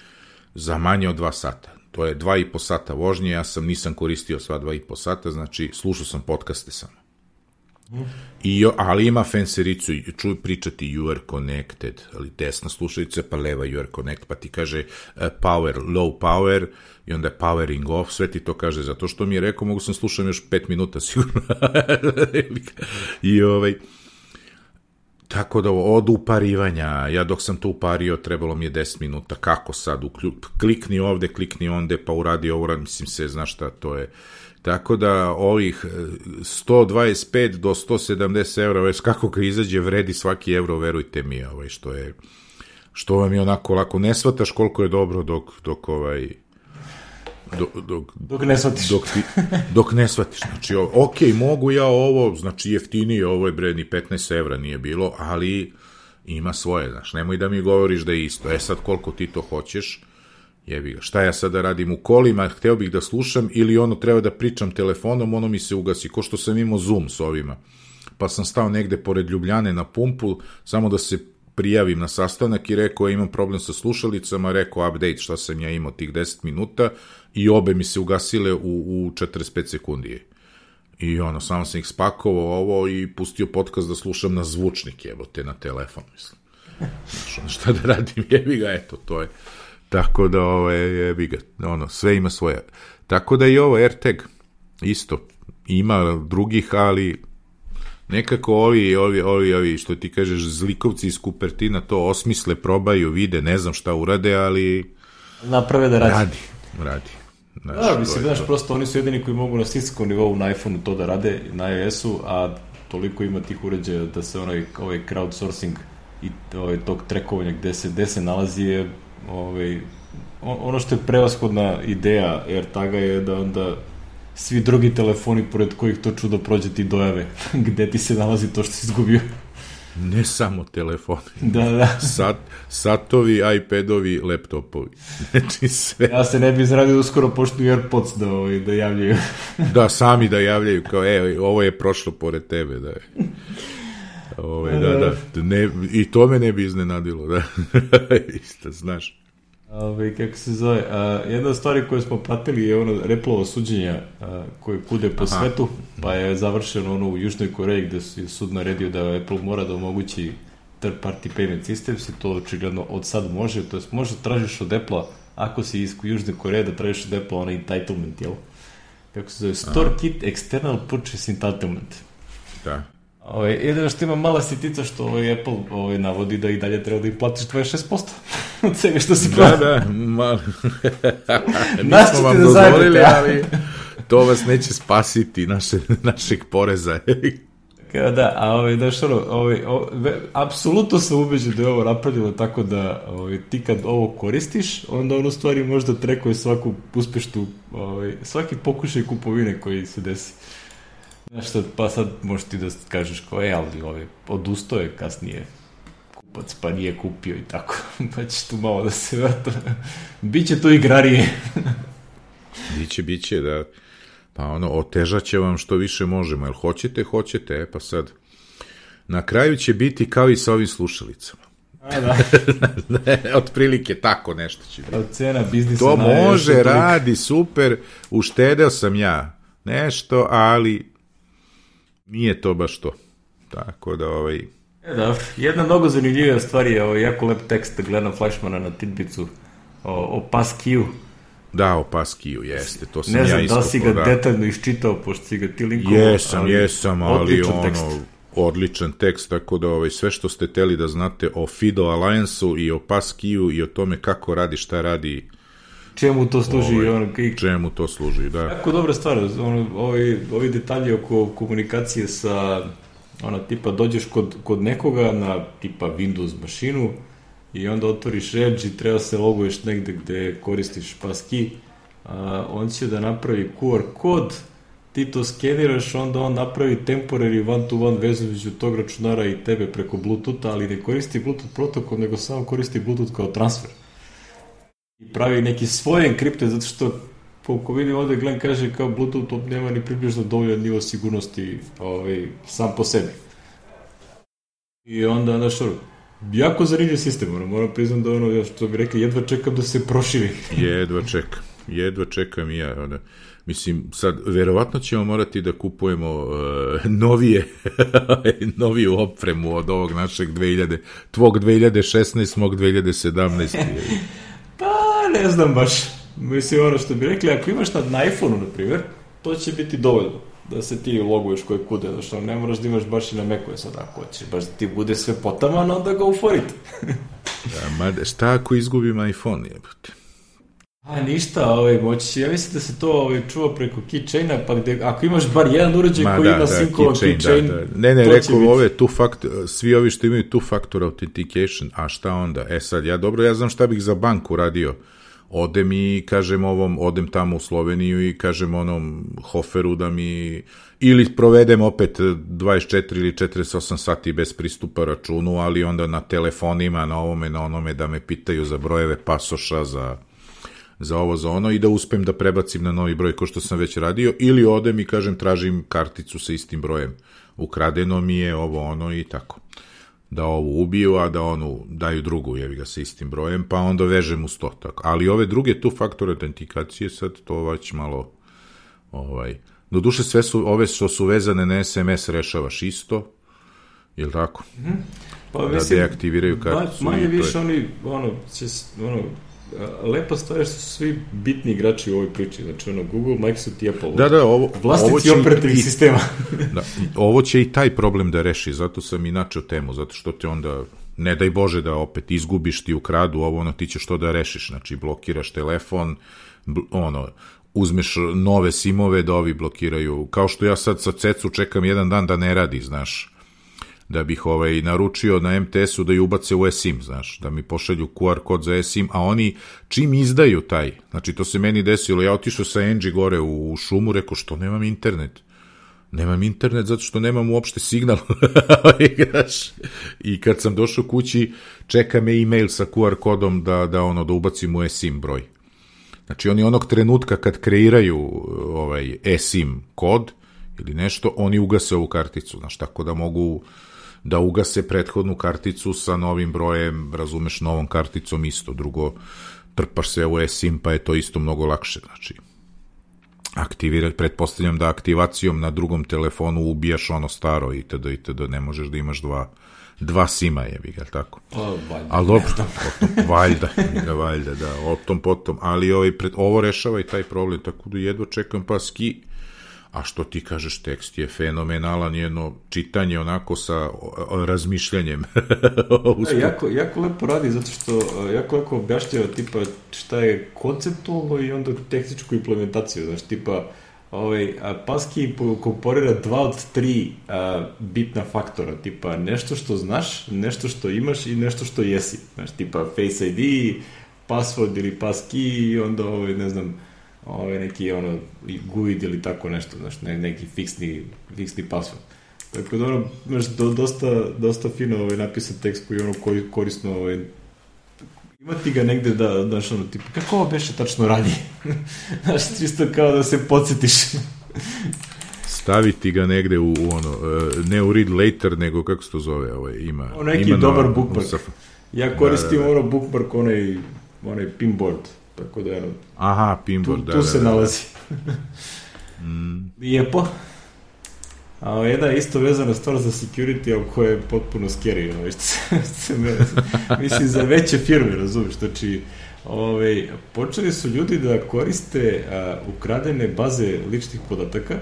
B: za manje od dva sata. To je dva i po sata vožnje, ja sam nisam koristio sva dva i po sata, znači, slušao sam podcaste samo. I, ali ima fensericu, čuj pričati you are connected, ali desna slušalica pa leva you are connected, pa ti kaže uh, power, low power i onda je powering off, sve ti to kaže, zato što mi je rekao, mogu sam slušam još pet minuta sigurno. I ovaj tako da od uparivanja, ja dok sam to upario trebalo mi je deset minuta, kako sad, uključ, klikni ovde, klikni onde, pa uradi ovo, uradi, mislim se, znaš šta, to je. Tako da ovih sto dvadeset pet do sto sedamdeset evra, već kako ga izađe, vredi svaki evro, verujte mi, ovaj, što je, što vam je onako lako, ne shvataš koliko je dobro dok, dok ovaj, dok, dok,
A: dok ne shvatiš.
B: Dok, ti, dok ne shvatiš, znači, ok, mogu ja ovo, znači jeftinije, ovo je bre, ni petnaest evra nije bilo, ali ima svoje, znaš, nemoj da mi govoriš da je isto, e sad koliko ti to hoćeš, jebi ga, šta ja sada radim u kolima, hteo bih da slušam ili ono treba da pričam telefonom, ono mi se ugasi, ko što sam imao Zoom s ovima, pa sam stao negde pored Ljubljane na pumpu, samo da se prijavim na sastanak i rekao, imam problem sa slušalicama, rekao update šta sam ja imao tih deset minuta i obe mi se ugasile u, u četrdeset pet sekundi. I ono, samo sam ih spakovao ovo i pustio podcast da slušam na zvučnik, evo te na telefon, mislim. Znaš, ono, šta da radim, jebi ga, eto, to je. Tako da, ovo je, jebi ga, ono, sve ima svoje. Tako da i ovo, AirTag, isto, ima drugih, ali nekako ovi, ovi, ovi, ovi, što ti kažeš, zlikovci iz Kupertina to osmisle, probaju, vide, ne znam šta urade, ali
A: naprave da radi.
B: Radi, radi. Znaš,
A: da, mislim, znaš, prosto oni su jedini koji mogu na sistemskom nivou na iPhoneu to da rade, na iOS-u, a toliko ima tih uređaja da se onaj, ovaj crowdsourcing i ovaj, tog trekovanja gde se, gde se nalazi je, ovaj, ono što je prevashodna ideja AirTaga je da onda svi drugi telefoni pored kojih to čudo prođe ti dojave gde ti se nalazi to što si izgubio.
B: Ne samo telefoni.
A: Da, da.
B: Sat, satovi, iPadovi, laptopovi. Znači sve.
A: Ja se ne bi izradio uskoro počnu AirPods da, ovaj, da javljaju.
B: Da, sami da javljaju kao, e, ovo je prošlo pored tebe, da je. Ove, da, da, ne, i to me ne bi iznenadilo, da. Isto, znaš.
A: Ove, kako se zove, a, jedna od stvari koje smo pratili je ono Appleovo suđenja a, koje kude po Aha. svetu, pa je završeno ono u Južnoj Koreji gde je sud naredio da Apple mora da omogući third party payment systems i to očigledno od sad može, to jest može tražiš od Apple-a, ako si iz Južne Koreje, da tražiš od Apple-a onaj entitlement, jel? Kako se zove, Store Aha. Kit External Purchase Entitlement.
B: Da.
A: Ove, jedino što ima mala sitica što ovaj Apple ovaj, navodi da i dalje treba da im platiš dvadeset šest posto od svega što si
B: plati. Da, da, malo. Nismo vam da dozvolili, ali to vas neće spasiti naše, našeg poreza.
A: Kao da, a ovaj, daš ono, ovaj, ovaj, apsolutno sam ubeđen da je ovo napravljeno tako da ovaj, ti kad ovo koristiš, onda ono stvari možda trekuje svaku uspešnu, ovaj, svaki pokušaj kupovine koji se desi. Znaš šta, pa sad možeš ti da kažeš kao, e, ali ovaj, odustao je kasnije kupac, pa nije kupio i tako, pa ćeš tu malo da se vrata. Biće to igrarije.
B: Biće, biće, da. Pa ono, otežat će vam što više možemo, jel hoćete, hoćete, e, pa sad, na kraju će biti kao i sa ovim slušalicama.
A: A, da.
B: Ne, otprilike tako nešto će biti.
A: Cena biznisa
B: to može, radi, super, uštedeo sam ja nešto, ali nije to baš to. Tako da, ovaj...
A: E, da, jedna mnogo zanimljivija stvar je ovaj jako lep tekst Glena Fleischmana na Tidbicu o, o passkiju.
B: Da, o passkiju, jeste, to sam
A: ja iskopao.
B: Ne znam
A: da si ga da. detaljno iščitao, pošto si ga ti linkovo.
B: Jesam, ali jesam, ali
A: odličan
B: ono,
A: tekst.
B: odličan tekst, tako da ovaj, sve što ste teli da znate o Fido Alliance-u i o passkiju i o tome kako radi, šta radi,
A: čemu to služi,
B: ovaj,
A: ono, i...
B: čemu to služi, da.
A: Jako dobra stvar, ono, ovi, ovi detalji oko komunikacije sa, ono, tipa, dođeš kod, kod nekoga na, tipa, Windows mašinu, i onda otvoriš Edge i treba se loguješ negde gde koristiš passkey, a, on će da napravi Q R kod, ti to skeniraš, onda on napravi temporary one-to-one vezu između tog računara i tebe preko Bluetootha, ali ne koristi Bluetooth protokol, nego samo koristi Bluetooth kao transfer. I pravi neki svoj enkripte, zato što, koliko vidim ovde, Glenn kaže kao Bluetooth nema ni približno dovoljan nivo sigurnosti ovaj, sam po sebi. I onda, znaš, jako zanimljiv sistem, ono, moram priznam da ono, što bi rekli, jedva čekam da se proširi.
B: jedva čekam, jedva čekam i ja, ono. Mislim, sad, verovatno ćemo morati da kupujemo uh, novije, noviju opremu od ovog našeg dve hiljade, tvog dve hiljade šesnaeste, mog dve hiljade sedamnaeste.
A: Pa, ne znam baš. Mislim, ono što bi rekli, ako imaš na, na iPhone-u, na primjer, to će biti dovoljno da se ti loguješ koje kude, da što ne moraš da imaš baš i na Macu-e sad, ako hoćeš baš da ti bude sve potaman, onda ga uforite.
B: Da, mada, šta ako izgubim iPhone, jebate?
A: A ništa, ovaj, moći, ja mislim da se to ovaj, čuva preko keychaina, pa gde, ako imaš bar jedan uređaj koji da, ima da, syncovan keychain, keychain
B: da, da. Ne, ne, rekao ove two factor, svi ovi što imaju two factor authentication, a šta onda? E sad, ja dobro, ja znam šta bih za banku radio. Odem i kažem ovom, odem tamo u Sloveniju i kažem onom Hoferu da mi, ili provedem opet dvadeset četiri ili četrdeset osam sati bez pristupa računu, ali onda na telefonima, na ovome, na onome da me pitaju za brojeve pasoša, za, za ovo, za ono i da uspem da prebacim na novi broj ko što sam već radio, ili odem i kažem tražim karticu sa istim brojem. Ukradeno mi je ovo, ono i tako. Da ovu ubiju, a da onu daju drugu, jevi ga sa istim brojem, pa onda vežem uz to. Tako. Ali ove druge tu faktore autentikacije, sad to već malo, ovaj, doduše sve su, ove što su vezane na es em es rešavaš isto, je li tako?
A: Mm-hmm. Pa,
B: da
A: mislim,
B: deaktiviraju karticu.
A: Manje više
B: je...
A: oni, ono, će, ono, lepa stvar je što su svi bitni igrači u ovoj priči, znači ono, Google, Microsoft i Apple.
B: Da, da, ovo,
A: vlasnici operativnih i, sistema.
B: Da, ovo će i taj problem da reši, zato sam i načeo temu, zato što te onda, ne daj Bože da opet izgubiš, ti ukradu ovo, ono, ti ćeš to da rešiš, znači blokiraš telefon, bl, ono, uzmeš nove simove da ovi blokiraju, kao što ja sad sa cecu čekam jedan dan da ne radi, znaš, da bih ovaj naručio na em te esu da ju ubace u eSIM, znaš, da mi pošalju Q R kod za eSIM, a oni čim izdaju taj, znači to se meni desilo, ja otišao sa Enđi gore u, u šumu, rekao što nemam internet, nemam internet zato što nemam uopšte signal, i kad sam došao kući, čeka me e-mail sa Q R kodom da, da ono, da ubacim u eSIM broj. Znači oni onog trenutka kad kreiraju ovaj eSIM kod ili nešto, oni ugase ovu karticu, znaš, tako da mogu da ugase prethodnu karticu sa novim brojem, razumeš, novom karticom isto. Drugo, trpaš se u eSIM, pa je to isto mnogo lakše, znači aktivirati, pretpostavljam da aktivacijom na drugom telefonu ubijaš ono staro itd. itd. Ne možeš da imaš dva, dva sima, jebi ga, tako?
A: O, valjda.
B: Ali dobro, valjda, valjda, da, o tom potom, ali ovaj, pred, ovo rešava i taj problem, tako da jedva čekam Passkey. A što ti kažeš, tekst je fenomenalan, jedno čitanje onako sa o, o, razmišljanjem.
A: E, jako, jako lepo radi, zato što jako lepo objašnjava tipa šta je konceptualno i onda tehničku implementaciju, znači tipa ovaj, Passkey komporira dva od tri a, bitna faktora, tipa nešto što znaš, nešto što imaš i nešto što jesi, znači tipa Face I D, password ili Passkey i onda ovaj, ne znam, ovaj neki ono G U I D ili tako nešto, znaš, ne, neki fiksni, fiksni password. Tako da ono, znaš, do, dosta, dosta fino ovaj, napisan tekst koji ono korisno, ovaj, ima ti ga negde da, znaš, ono, tipa, kako ovo beše tačno radi? Znaš, čisto kao da se podsjetiš.
B: Staviti ga negde u, u ono, ne u read later, nego kako se to zove, ovaj, ima...
A: O, neki
B: ima
A: dobar
B: na,
A: bookmark. Sa... Ja koristim da, da, da. ono bookmark, onaj, onaj pinboard. Tako da je,
B: aha, pinboard,
A: tu,
B: da,
A: tu
B: da,
A: se
B: da,
A: nalazi.
B: mm.
A: Lijepo. A jedna isto vezana stvar za security, ali koja je potpuno scary, ovaj, što se me, mislim, za veće firme, razumiješ, znači, ovaj, počeli su ljudi da koriste a, ukradene baze ličnih podataka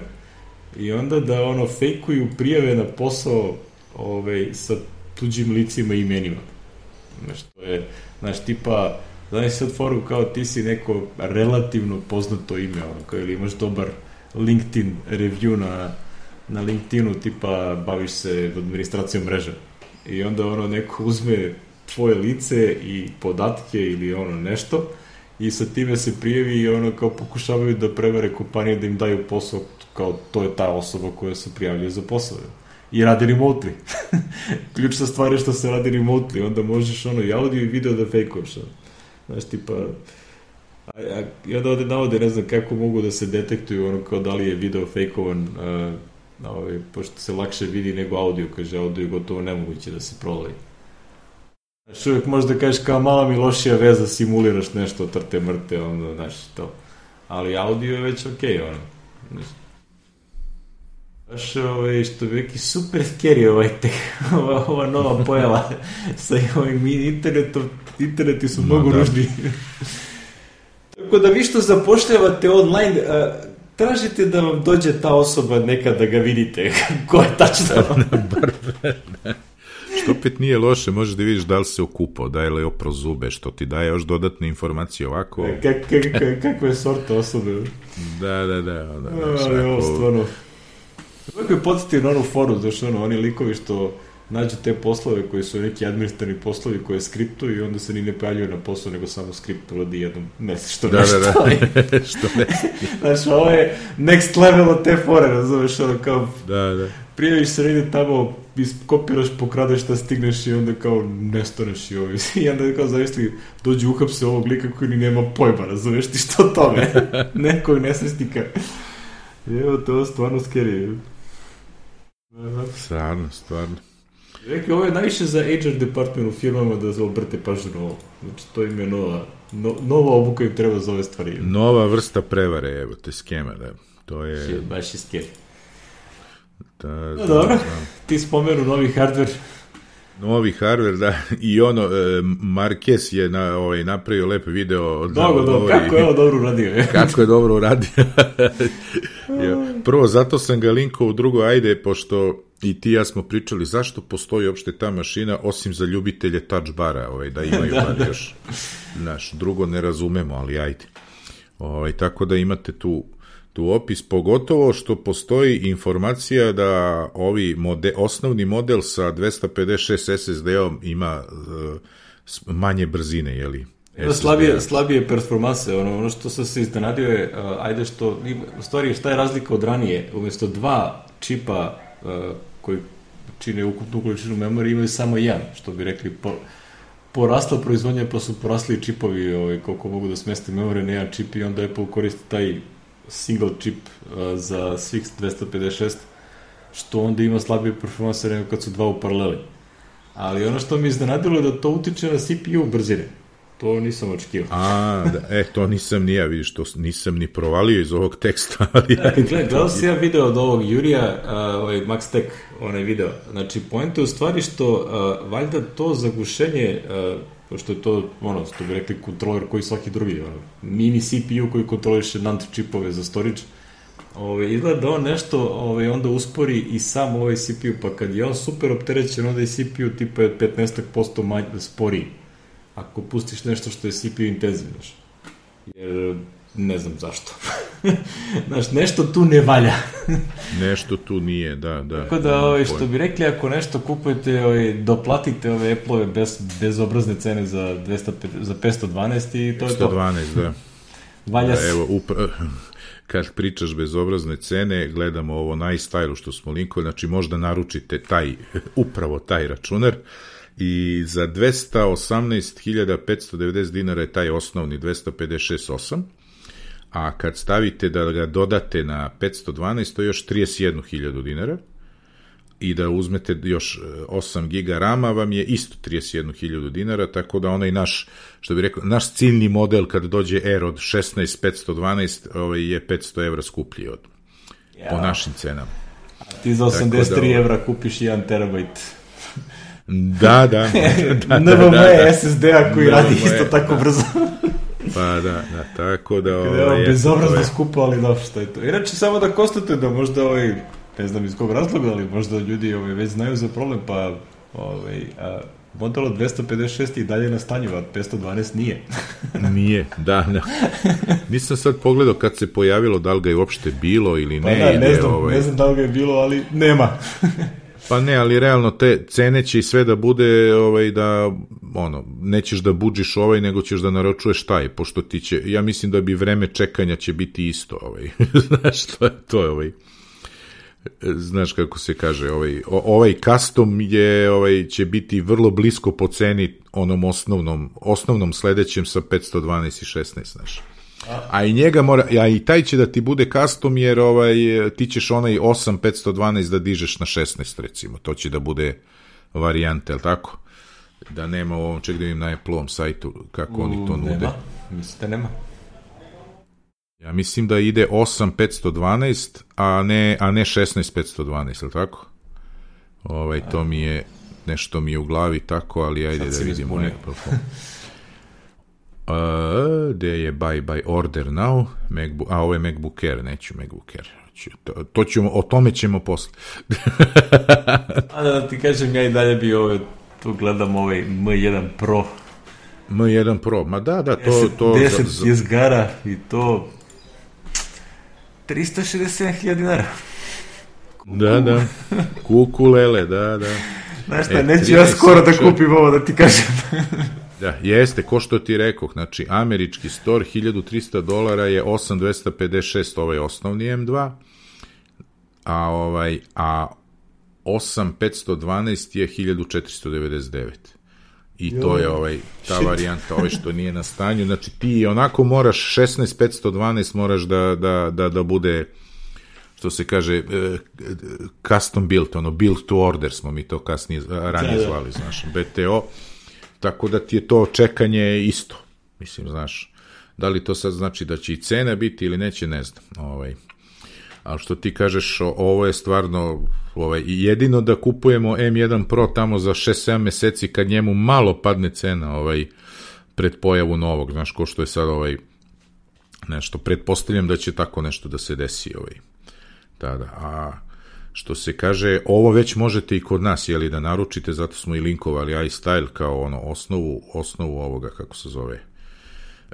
A: i onda da, ono, fejkuju prijave na posao, ovaj, sa tuđim licima i imenima. Znači, to je, znači, tipa, znaš sad foru kao ti si neko relativno poznato ime, ono, kao ili imaš dobar LinkedIn review na, na LinkedInu, tipa baviš se administracijom mreža i onda ono neko uzme tvoje lice i podatke ili ono nešto i sa time se prijavi i ono kao pokušavaju da prevare kompanije da im daju posao, kao to je ta osoba koja se prijavljuje za posao i radi remotely. Ključna stvar je što se radi remotely, onda možeš ono i audio i video da fejkuješ, ono. Znaš, tipa, a, a, i onda ovde navode, ne znam kako mogu da se detektuju, ono, kao da li je video fejkovan, uh, ovaj, pošto se lakše vidi nego audio, kaže, audio je gotovo nemoguće da se prolavi. Znaš, uvijek možeš da kažeš kao mala mi lošija veza, simuliraš nešto, trte mrte, onda, znaš, to. Ali audio je već okej, okay, ono, znaš. Znaš, ovaj, što je neki super scary ovaj tek, ova, ova nova pojava sa ovim internetom, interneti su mnogo no, ružni. Tako da vi što zapošljavate online, a, tražite da vam dođe ta osoba nekad da ga vidite, ko je tačno.
B: Što opet nije loše, možeš da vidiš da li se okupao, da li je oprao zube, što ti daje još dodatne informacije ovako.
A: Kak, kak, kak, kakva je sorta osobe?
B: Da, da, da. Onda,
A: a, ali ovo stvarno. Kako je podsjetio na onu foru, znaš, ono, oni likovi što nađu te poslove koji su neki administrativni poslovi koje skriptuju i onda se ni ne pojavljuju na posao, nego samo skript uradi jednom mesec, što
B: da,
A: nešto.
B: Da, da, što ne.
A: Znaš, ovo je next level od te fore, razumeš, ono, kao,
B: da, da.
A: prijaviš se negdje tamo, iskopiraš, pokradeš šta stigneš i onda kao nestaneš i ovo. I onda kao zavisli, dođu uhapse ovog lika koji ni nema pojma, razumeš ti što tome, nekog nesvesnika. Evo, to je stvarno scary.
B: Stvarno, stvarno.
A: Rekli, ovo je najviše za H R department u firmama da se obrte pažnju na ovo. Znači, to im je nova, no, nova obuka im treba za ove stvari.
B: Nova vrsta prevare, evo te skema, da. To je...
A: Šit, baš je scary.
B: Da,
A: no,
B: da,
A: dobro,
B: da.
A: ti spomenu novi hardware.
B: Novi hardware, da. I ono, e, Marquez je na, ovaj, napravio lep video.
A: Dobro, dobro, kako je ovo dobro uradio?
B: Kako je dobro uradio. Prvo, zato sam ga linkao u drugo, ajde, pošto i ti i ja smo pričali zašto postoji uopšte ta mašina, osim za ljubitelje touch bara, ovaj, da imaju da, da. Još, znaš, drugo ne razumemo, ali ajde. Ovaj, tako da imate tu tu opis, pogotovo što postoji informacija da ovi mode, osnovni model sa dvesta pedeset šest S S D-om ima uh, manje brzine, jeli?
A: Da, slabije, slabije performanse, ono, ono što sam se iznenadio je, uh, ajde što, u stvari šta je razlika od ranije, umjesto dva čipa uh, koji čine ukupnu količinu memorije imaju samo jedan, što bi rekli, po, porasla proizvodnja pa su porasli čipovi, ovaj, koliko mogu da smeste memorije na jedan čip i onda Apple koristi taj single chip uh, za svih dvesta pedeset šest, što onda ima slabije performanse nego kad su dva u paraleli. Ali ono što mi iznenadilo je da to utiče na C P U brzine. To nisam očekivao.
B: A, da, e, to nisam ni ja, vidiš, to nisam ni provalio iz ovog teksta. Ali ja
A: Gled, gledao si ja video od ovog Jurija, uh, ovaj Max Tech, onaj video. Znači, poenta je u stvari što uh, valjda to zagušenje, uh, pošto je to, ono, što bi rekli, kontroler koji svaki drugi, ono, mini C P U koji kontroliše NAND čipove za storage, Ove, izgleda da on nešto ove, onda uspori i sam ovaj C P U, pa kad je on super opterećen, onda i C P U tipa je petnaest posto manj, sporiji. Ako pustiš nešto što je C P U intenzivno. Jer ne znam zašto. Znaš, nešto tu ne valja.
B: Nešto tu nije, da, da.
A: Tako da, ove, što bi rekli, ako nešto kupujete, ove, doplatite ove Apple-ove bez, bezobrazne cene za, dvesta, za petsto dvanaest i to je to.
B: petsto dvanaest, da.
A: Valja se.
B: Evo, upra... kad pričaš bezobrazne cene, gledamo ovo na iStyle što smo linkovali, znači možda naručite taj, upravo taj računar i za dvesta osamnaest hiljada petsto devedeset dinara je taj osnovni dvesta pedeset šest zarez osam, a kad stavite da ga dodate na petsto dvanaest, to je još trideset jednu hiljadu dinara i da uzmete još osam giga rama vam je isto trideset jednu hiljadu dinara, tako da onaj naš, što bih rekao, naš ciljni model kad dođe Air od šesnaest petsto dvanaest ovaj, je petsto evra skuplji od, ja. Po našim cenama.
A: A ti za osamdeset tri da, evra kupiš jedan terabajt.
B: Da, da. da,
A: N V M e S S D-a koji radi isto tako brzo.
B: Pa da, da, tako da...
A: Ovo, evo, bezobrazno skupo, ali dobro što je to. Inače, samo da konstatuje da možda ovaj... ne znam iz kog razloga, ali možda ljudi ovaj, već znaju za problem, pa ovaj, a, model od dvesta pedeset šest i dalje na stanju, a petsto dvanaest nije.
B: Nije, da, da. Nisam sad pogledao kad se pojavilo da li ga je uopšte bilo ili ne.
A: Pa da, ne,
B: ili,
A: znam,
B: ovaj...
A: ne znam da li ga je bilo, ali nema.
B: Pa ne, ali realno te cene će i sve da bude ovaj, da, ono, nećeš da budžiš ovaj, nego ćeš da naručuješ taj, pošto ti će, ja mislim da bi vreme čekanja će biti isto, ovaj. Znaš, to je, to je ovaj... Znaš kako se kaže, ovaj, ovaj custom je, ovaj, će biti vrlo blisko po ceni onom osnovnom, osnovnom sledećem sa petsto dvanaest i šesnaest, znaš. A i njega mora, a i taj će da ti bude custom jer ovaj, ti ćeš onaj osam petsto dvanaest da dižeš na šesnaest recimo, to će da bude varijanta, jel tako? Da nema u ovom, ček da vidim na Apple-ovom sajtu kako oni to nude.
A: Nema, mislite nema?
B: Ja mislim da ide osam petsto dvanaest, a ne, a ne šesnaest petsto dvanaest, je li tako? Ovaj, to mi je, nešto mi je u glavi tako, ali ajde da vidimo nekako. Uh, gde je buy by order now? MacBook, a ovo je MacBook Air, neću MacBook Air. To, to ćemo, o tome ćemo posle.
A: A da ti kažem, ja i dalje bi ove, tu gledam ovaj M jedan Pro.
B: M jedan Pro, ma da, da, to... to
A: deset za, za... jezgara i to... tristo šezdeset sedam hiljada dinara.
B: Da, da. Kukulele, da, da.
A: Znaš šta, e, neću ja skoro da kupim ovo, da ti kažem.
B: Da, jeste, ko što ti rekoh, znači, američki store, hiljadu trista dolara je osam dvesta pedeset šest, ovaj osnovni M dva, a, ovaj, a osam petsto dvanaest je hiljadu četiristo devedeset devet. I to je ovaj, ta Shit. varijanta, ovaj što nije na stanju. Znači ti onako moraš šesnaest petsto dvanaest moraš da, da, da, da bude, što se kaže, uh, custom built, ono, build to order smo mi to kasnije, ranije da, zvali, znaš, B T O. Tako da ti je to čekanje isto. Mislim, znaš, da li to sad znači da će i cena biti ili neće, ne znam. Ovaj. Ali što ti kažeš, ovo je stvarno ovaj, jedino da kupujemo M jedan Pro tamo za šest sedam meseci kad njemu malo padne cena ovaj, pred pojavu novog, znaš, ko što je sad ovaj, nešto, pretpostavljam da će tako nešto da se desi ovaj. Tada, a što se kaže, ovo već možete i kod nas, jeli, da naručite, zato smo i linkovali iStyle kao ono, osnovu, osnovu ovoga, kako se zove,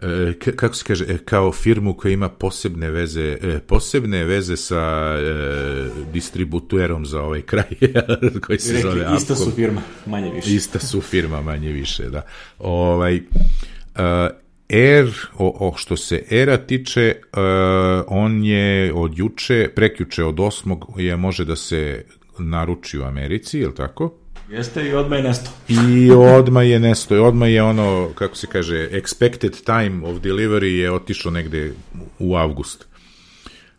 B: e, k- kako se kaže, e, kao firmu koja ima posebne veze, e, posebne veze sa e, distributerom za ovaj kraj, koji se
A: rekli,
B: zove Apple.
A: Ista su firma, manje više.
B: Ista su firma, manje više, da. Ovaj, uh, Air, o, o što se Aira tiče, uh, on je od juče, prekjuče od osmog je može da se naruči u Americi, je li tako?
A: Jeste i odmah je nesto.
B: I odmah je nesto, i odmah je ono, kako se kaže, expected time of delivery je otišao negde u avgust.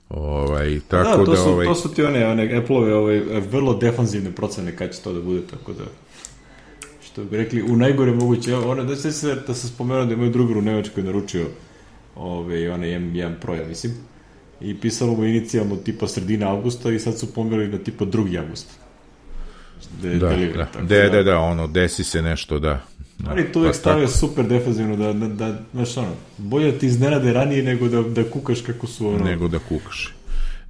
B: Ovaj, tako
A: da, to
B: da,
A: su,
B: ovaj...
A: to su ti one, one Apple-ove ovaj, vrlo defanzivne procene kad će to da bude, tako da... što bi rekli, u najgore moguće, ona, da se se, da sam spomenuo da je moj drugar u Nemačkoj naručio ove, onaj M jedan Pro, ja mislim, i pisalo mu inicijalno tipa sredina avgusta i sad su pomerili na tipa drugi avgust.
B: De, da, delivery, da, da, da, da, ono, desi se nešto, da. da
A: Oni tu uvek pa stavio super defazivno, da, da, da, znaš ono, bolje ti iznenade ranije nego da, da kukaš kako su ono...
B: Nego da kukaš.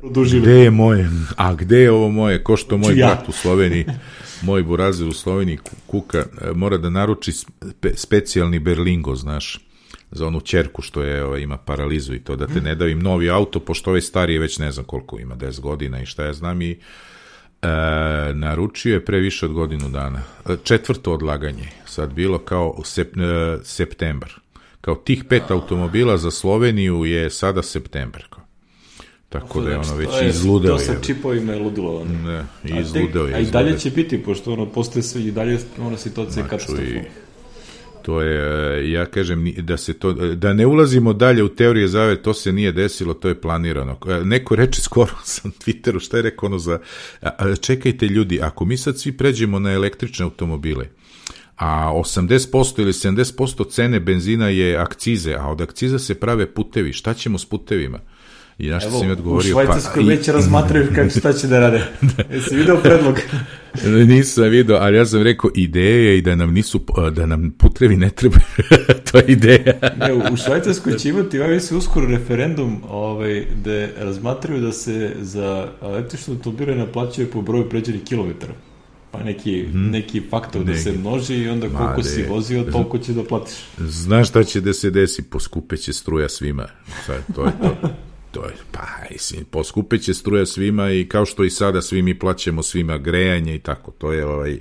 A: Produžili.
B: Gde je moje, a gde je ovo moje, ko što moj ja. brat u Sloveniji, moj burazer u Sloveniji kuka, mora da naruči spe, specijalni berlingo, znaš, za onu ćerku što je, ovaj, ima paralizu i to, da te ne daju im novi auto, pošto ovaj stari je već ne znam koliko ima, deset godina i šta ja znam i e, naručio je pre više od godinu dana. Četvrto odlaganje, sad bilo kao u sep, e, septembar. Kao tih pet automobila za Sloveniju je sada septembar. Tako da je ono već izludeo.
A: To sa čipovima je ludilo.
B: Ne, izludeo je.
A: A i dalje će biti, pošto ono postoje sve i dalje ona situacija je katastrofalna.
B: To je, ja kažem, da se to, da ne ulazimo dalje u teorije zavere, to se nije desilo, to je planirano. Neko reče skoro sam Twitteru, šta je rekao ono za, čekajte ljudi, ako mi sad svi pređemo na električne automobile, a osamdeset posto ili sedamdeset posto cene benzina je akcize, a od akciza se prave putevi, šta ćemo s putevima? I na što sam mi odgovorio,
A: u Švajcarskoj pa, već razmatraju kako šta će da rade. Jesi vidio predlog?
B: Nisam vidio, ali ja sam rekao, ideja je i da nam nisu, da nam putevi ne trebaju. To je ideja.
A: Ne, u Švajcarskoj će imati ovaj se uskoro referendum ovaj, da razmatraju da se za električne automobile naplaćuje po broju pređenih kilometara. Pa neki, hmm. neki faktor neki. Da se množi i onda koliko Made. si vozio, toliko će da platiš.
B: Znaš šta će da se desi? Poskupeće struja svima. Sad, to je to. To je, pa, mislim, poskupeće struja svima i kao što i sada svi mi plaćamo svima grejanje i tako, to je ovaj,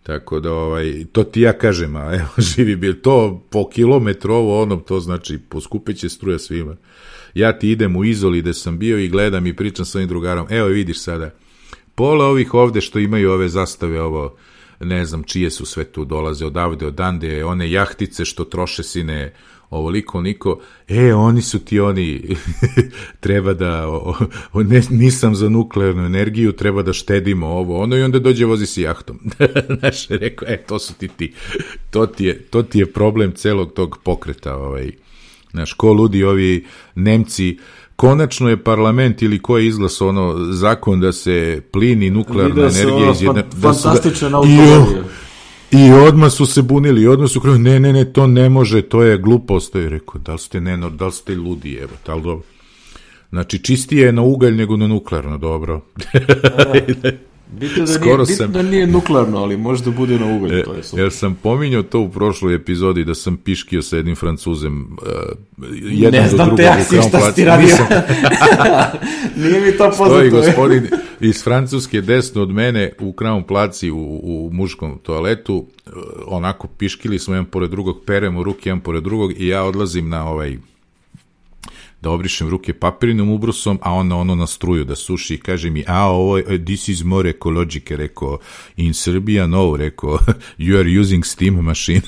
B: tako da ovaj, to ti ja kažem, a evo, živi bil, to po kilometru ovo ono, to znači poskupeće struja svima. Ja ti idem u Izoli gde sam bio i gledam i pričam s ovim drugarom, evo vidiš sada, pola ovih ovde što imaju ove zastave, ovo, ne znam čije su sve tu dolaze, odavde, odande, one jahtice što troše sine, ovoliko, niko, e, oni su ti oni, treba da, o, o, ne, nisam za nuklearnu energiju, treba da štedimo ovo, ono, i onda dođe vozi si jahtom. Znaš, rekao, e, to su ti ti, to ti je, to ti je problem celog tog pokreta, ovaj, znaš, ko ludi ovi Nemci, konačno je parlament ili ko je izglasao ono zakon da se plin i nuklearna energija izjedna...
A: Fantastično na automobiliju.
B: I odmah su se bunili, i odmah su kraju, ne, ne, ne, to ne može, to je glupost. I rekao, da li ste nenor, da li ste ludi, evo, ali dobro. Znači, čistije je na ugalj nego na nuklearno, dobro.
A: Bitno da, nije, bitno sam... da nije nuklearno, ali možda bude na ugalj, e, to je super.
B: Jer sam pominjao to u prošloj epizodi, da sam piškio sa jednim Francuzem, uh, jedan
A: ne
B: do drugog
A: te ja si šta si ti radio. Nisam... Nije mi to poznato.
B: Stoji gospodin iz Francuske desno od mene u Crown Placi u, u muškom toaletu, onako piškili smo jedan pored drugog, peremo ruke jedan pored drugog i ja odlazim na ovaj da obrišem ruke papirnim ubrusom, a ona ono na struju da suši i kaže mi, a ovo, this is more ecologic, rekao, in Serbia, no, rekao, you are using steam machine.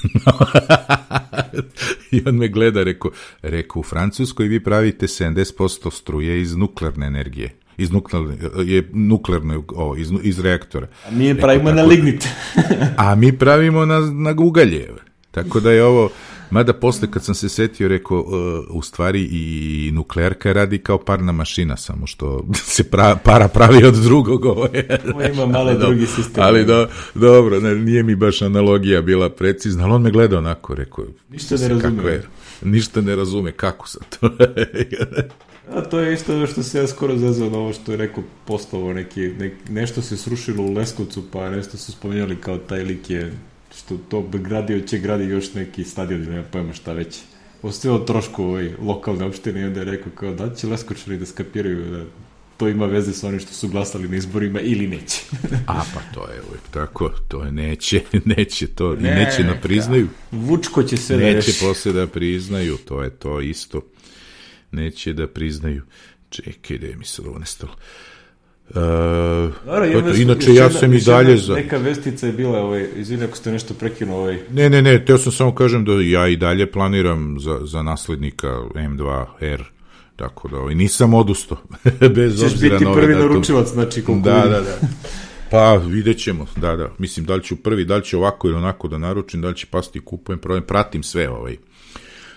B: I on me gleda, rekao, rekao, u Francuskoj vi pravite sedamdeset posto struje iz nuklearne energije. Iz nuklearne, je nuklearno, o, iz, iz reaktora.
A: A mi pravimo tako, na lignit.
B: A mi pravimo na, na ugalje. Tako da je ovo, mada posle kad sam se setio, rekao, uh, u stvari i nuklearka radi kao parna mašina, samo što se pra, para pravi od drugog. Ovo
A: ima malo drugi sistem.
B: Ali do, dobro, ne, nije mi baš analogija bila precizna, ali on me gleda onako, rekao,
A: ništa ne razume.
B: Je, ništa ne razume, kako sad to?
A: A to je isto što se ja skoro zezao na ovo što je rekao postovo, neki, nek, nešto se srušilo u Leskovcu, pa nešto su spomenuli kao taj lik je što to bi gradio, će gradi još neki stadion, nema pojma šta već. Ostavio trošku ovoj lokalne opštine i onda je rekao kao da će Leskovčani da skapiraju da to ima veze sa onim što su glasali na izborima ili neće.
B: A pa to je uvijek tako, to je neće, neće to, ne, i neće da priznaju.
A: Vučko će se da
B: neće posle da priznaju, to je to isto. Neće da priznaju. Čekaj, da je mi se ovo nestalo. Uh,
A: Dobro,
B: to, to, inače ja sam i dalje za...
A: Neka vestica je bila, ovaj, izvini ako ste nešto prekinuo. Ovaj...
B: Ne, ne, ne, teo sam samo kažem da ja i dalje planiram za, za naslednika M dva R, tako da ovaj, nisam odustao. Bez
A: Češ
B: obzira
A: biti
B: na
A: prvi naručilac, znači koliko
B: da, da, da. Pa, vidjet ćemo, da, da. Mislim, da li ću prvi, da li će ovako ili onako da naručim, da li će pasti kupujem, prodajem, pratim sve ovaj.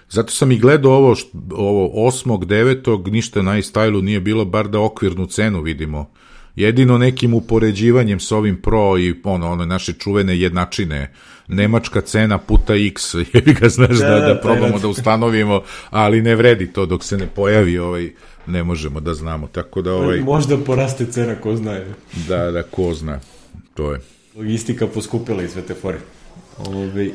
B: Zato sam i gledao ovo, ovo osmog, devetog, ništa na iStylu nije bilo, bar da okvirnu cenu vidimo. Jedino nekim upoređivanjem s ovim Pro i ono, ono naše čuvene jednačine, nemačka cena puta X, jebi ga znaš da, da, da probamo da ustanovimo, ali ne vredi to dok se ne pojavi, ovaj, ne možemo da znamo, tako da ovaj...
A: Možda poraste cena, ko zna.
B: Da, da, ko zna, to je.
A: Logistika poskupila i sve te fore. Ovaj...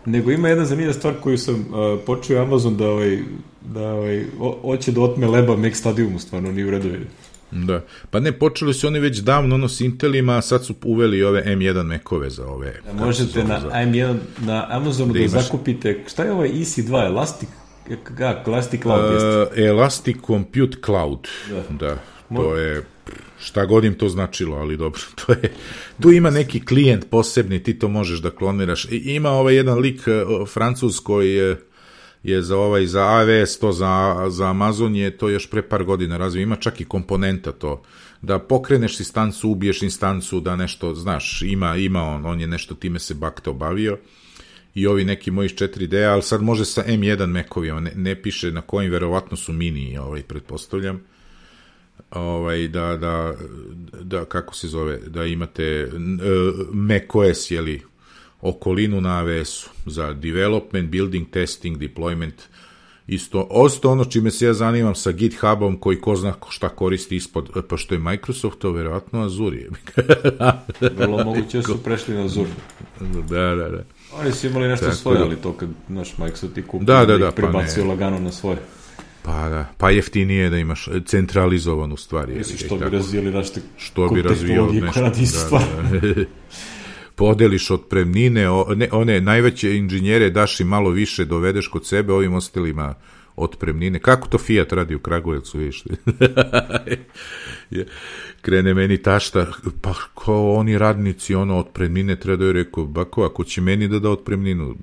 A: Nego ima jedna zanimljiva stvar koju sam uh, počeo Amazon da, ovaj, da ovaj, hoće da otme leba Mac Stadiumu, stvarno nije u redu.
B: Da, pa ne, počeli su oni već davno ono s Intelima, a sad su uveli ove em jedan Macove za ove...
A: Da možete na, za... em jedan, na Amazonu da, da imaš... zakupite, šta je ovaj E C dva, Elastic? Kako, Elastic Cloud uh, jeste?
B: Elastic Compute Cloud, da, da to je... Šta god im to značilo, ali dobro, to je, tu ima neki klijent posebni, ti to možeš da kloniraš. I, ima ovaj jedan lik uh, francuz koji je, je za ovaj, za A W S, to za, za Amazon je to još pre par godina razvio, ima čak i komponenta to, da pokreneš instancu, ubiješ instancu, da nešto, znaš, ima, ima on, on je nešto time se bakte obavio. I ovi neki moji četiri D, ali sad može sa em jedan Mac-ovima, ne, ne piše na kojim, verovatno su mini, ovaj, pretpostavljam. Ovaj, da, da, da, kako se zove, da imate uh, macOS, jeli, okolinu na A W S-u za development, building, testing, deployment, isto, osto ono čime se ja zanimam sa GitHubom koji ko zna šta koristi ispod, pa što je Microsoft, to verovatno Azure je.
A: Vrlo moguće su prešli na Azure.
B: Da, da, da.
A: Oni su imali nešto tako svoje, ali to kad naš Microsoft i kupio,
B: da, da, da,
A: ih prebacio
B: pa
A: lagano na svoje.
B: Pa da, pa jeftinije da imaš centralizovanu stvar.
A: Misliš što bi razvijeli našte
B: što bi razvijao nešto. Da, da. Podeliš otpremnine, ne, one najveće inženjere daš i malo više dovedeš kod sebe, ovim ostalima otpremnine. Kako to Fiat radi u Kragujevcu, vidiš? Krene meni tašta, pa kao oni radnici, ono, otpremnine treba da je rekao, bako, ako će meni da da otpremninu.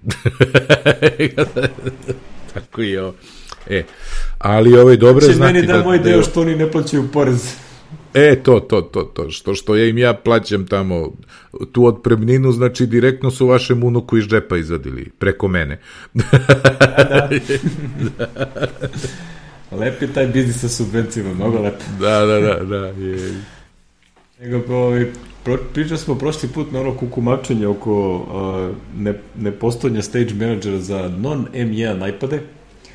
B: Tako i ovo. E, ali ovaj dobro je znati
A: da... Će meni da moj deo što oni ne plaćaju porez.
B: E, to, to, to, to, što, što ja im ja plaćam tamo tu otpremninu, znači direktno su vašem unuku iz džepa izvadili, preko mene.
A: Da, da. Lep je taj biznis sa subvencijama, mnogo lep.
B: Da, da, da, da. Je.
A: Nego, ovaj, pričali smo prošli put na ono kukumačenje oko uh, ne, nepostojanja stage menadžera za non-em jedan iPade.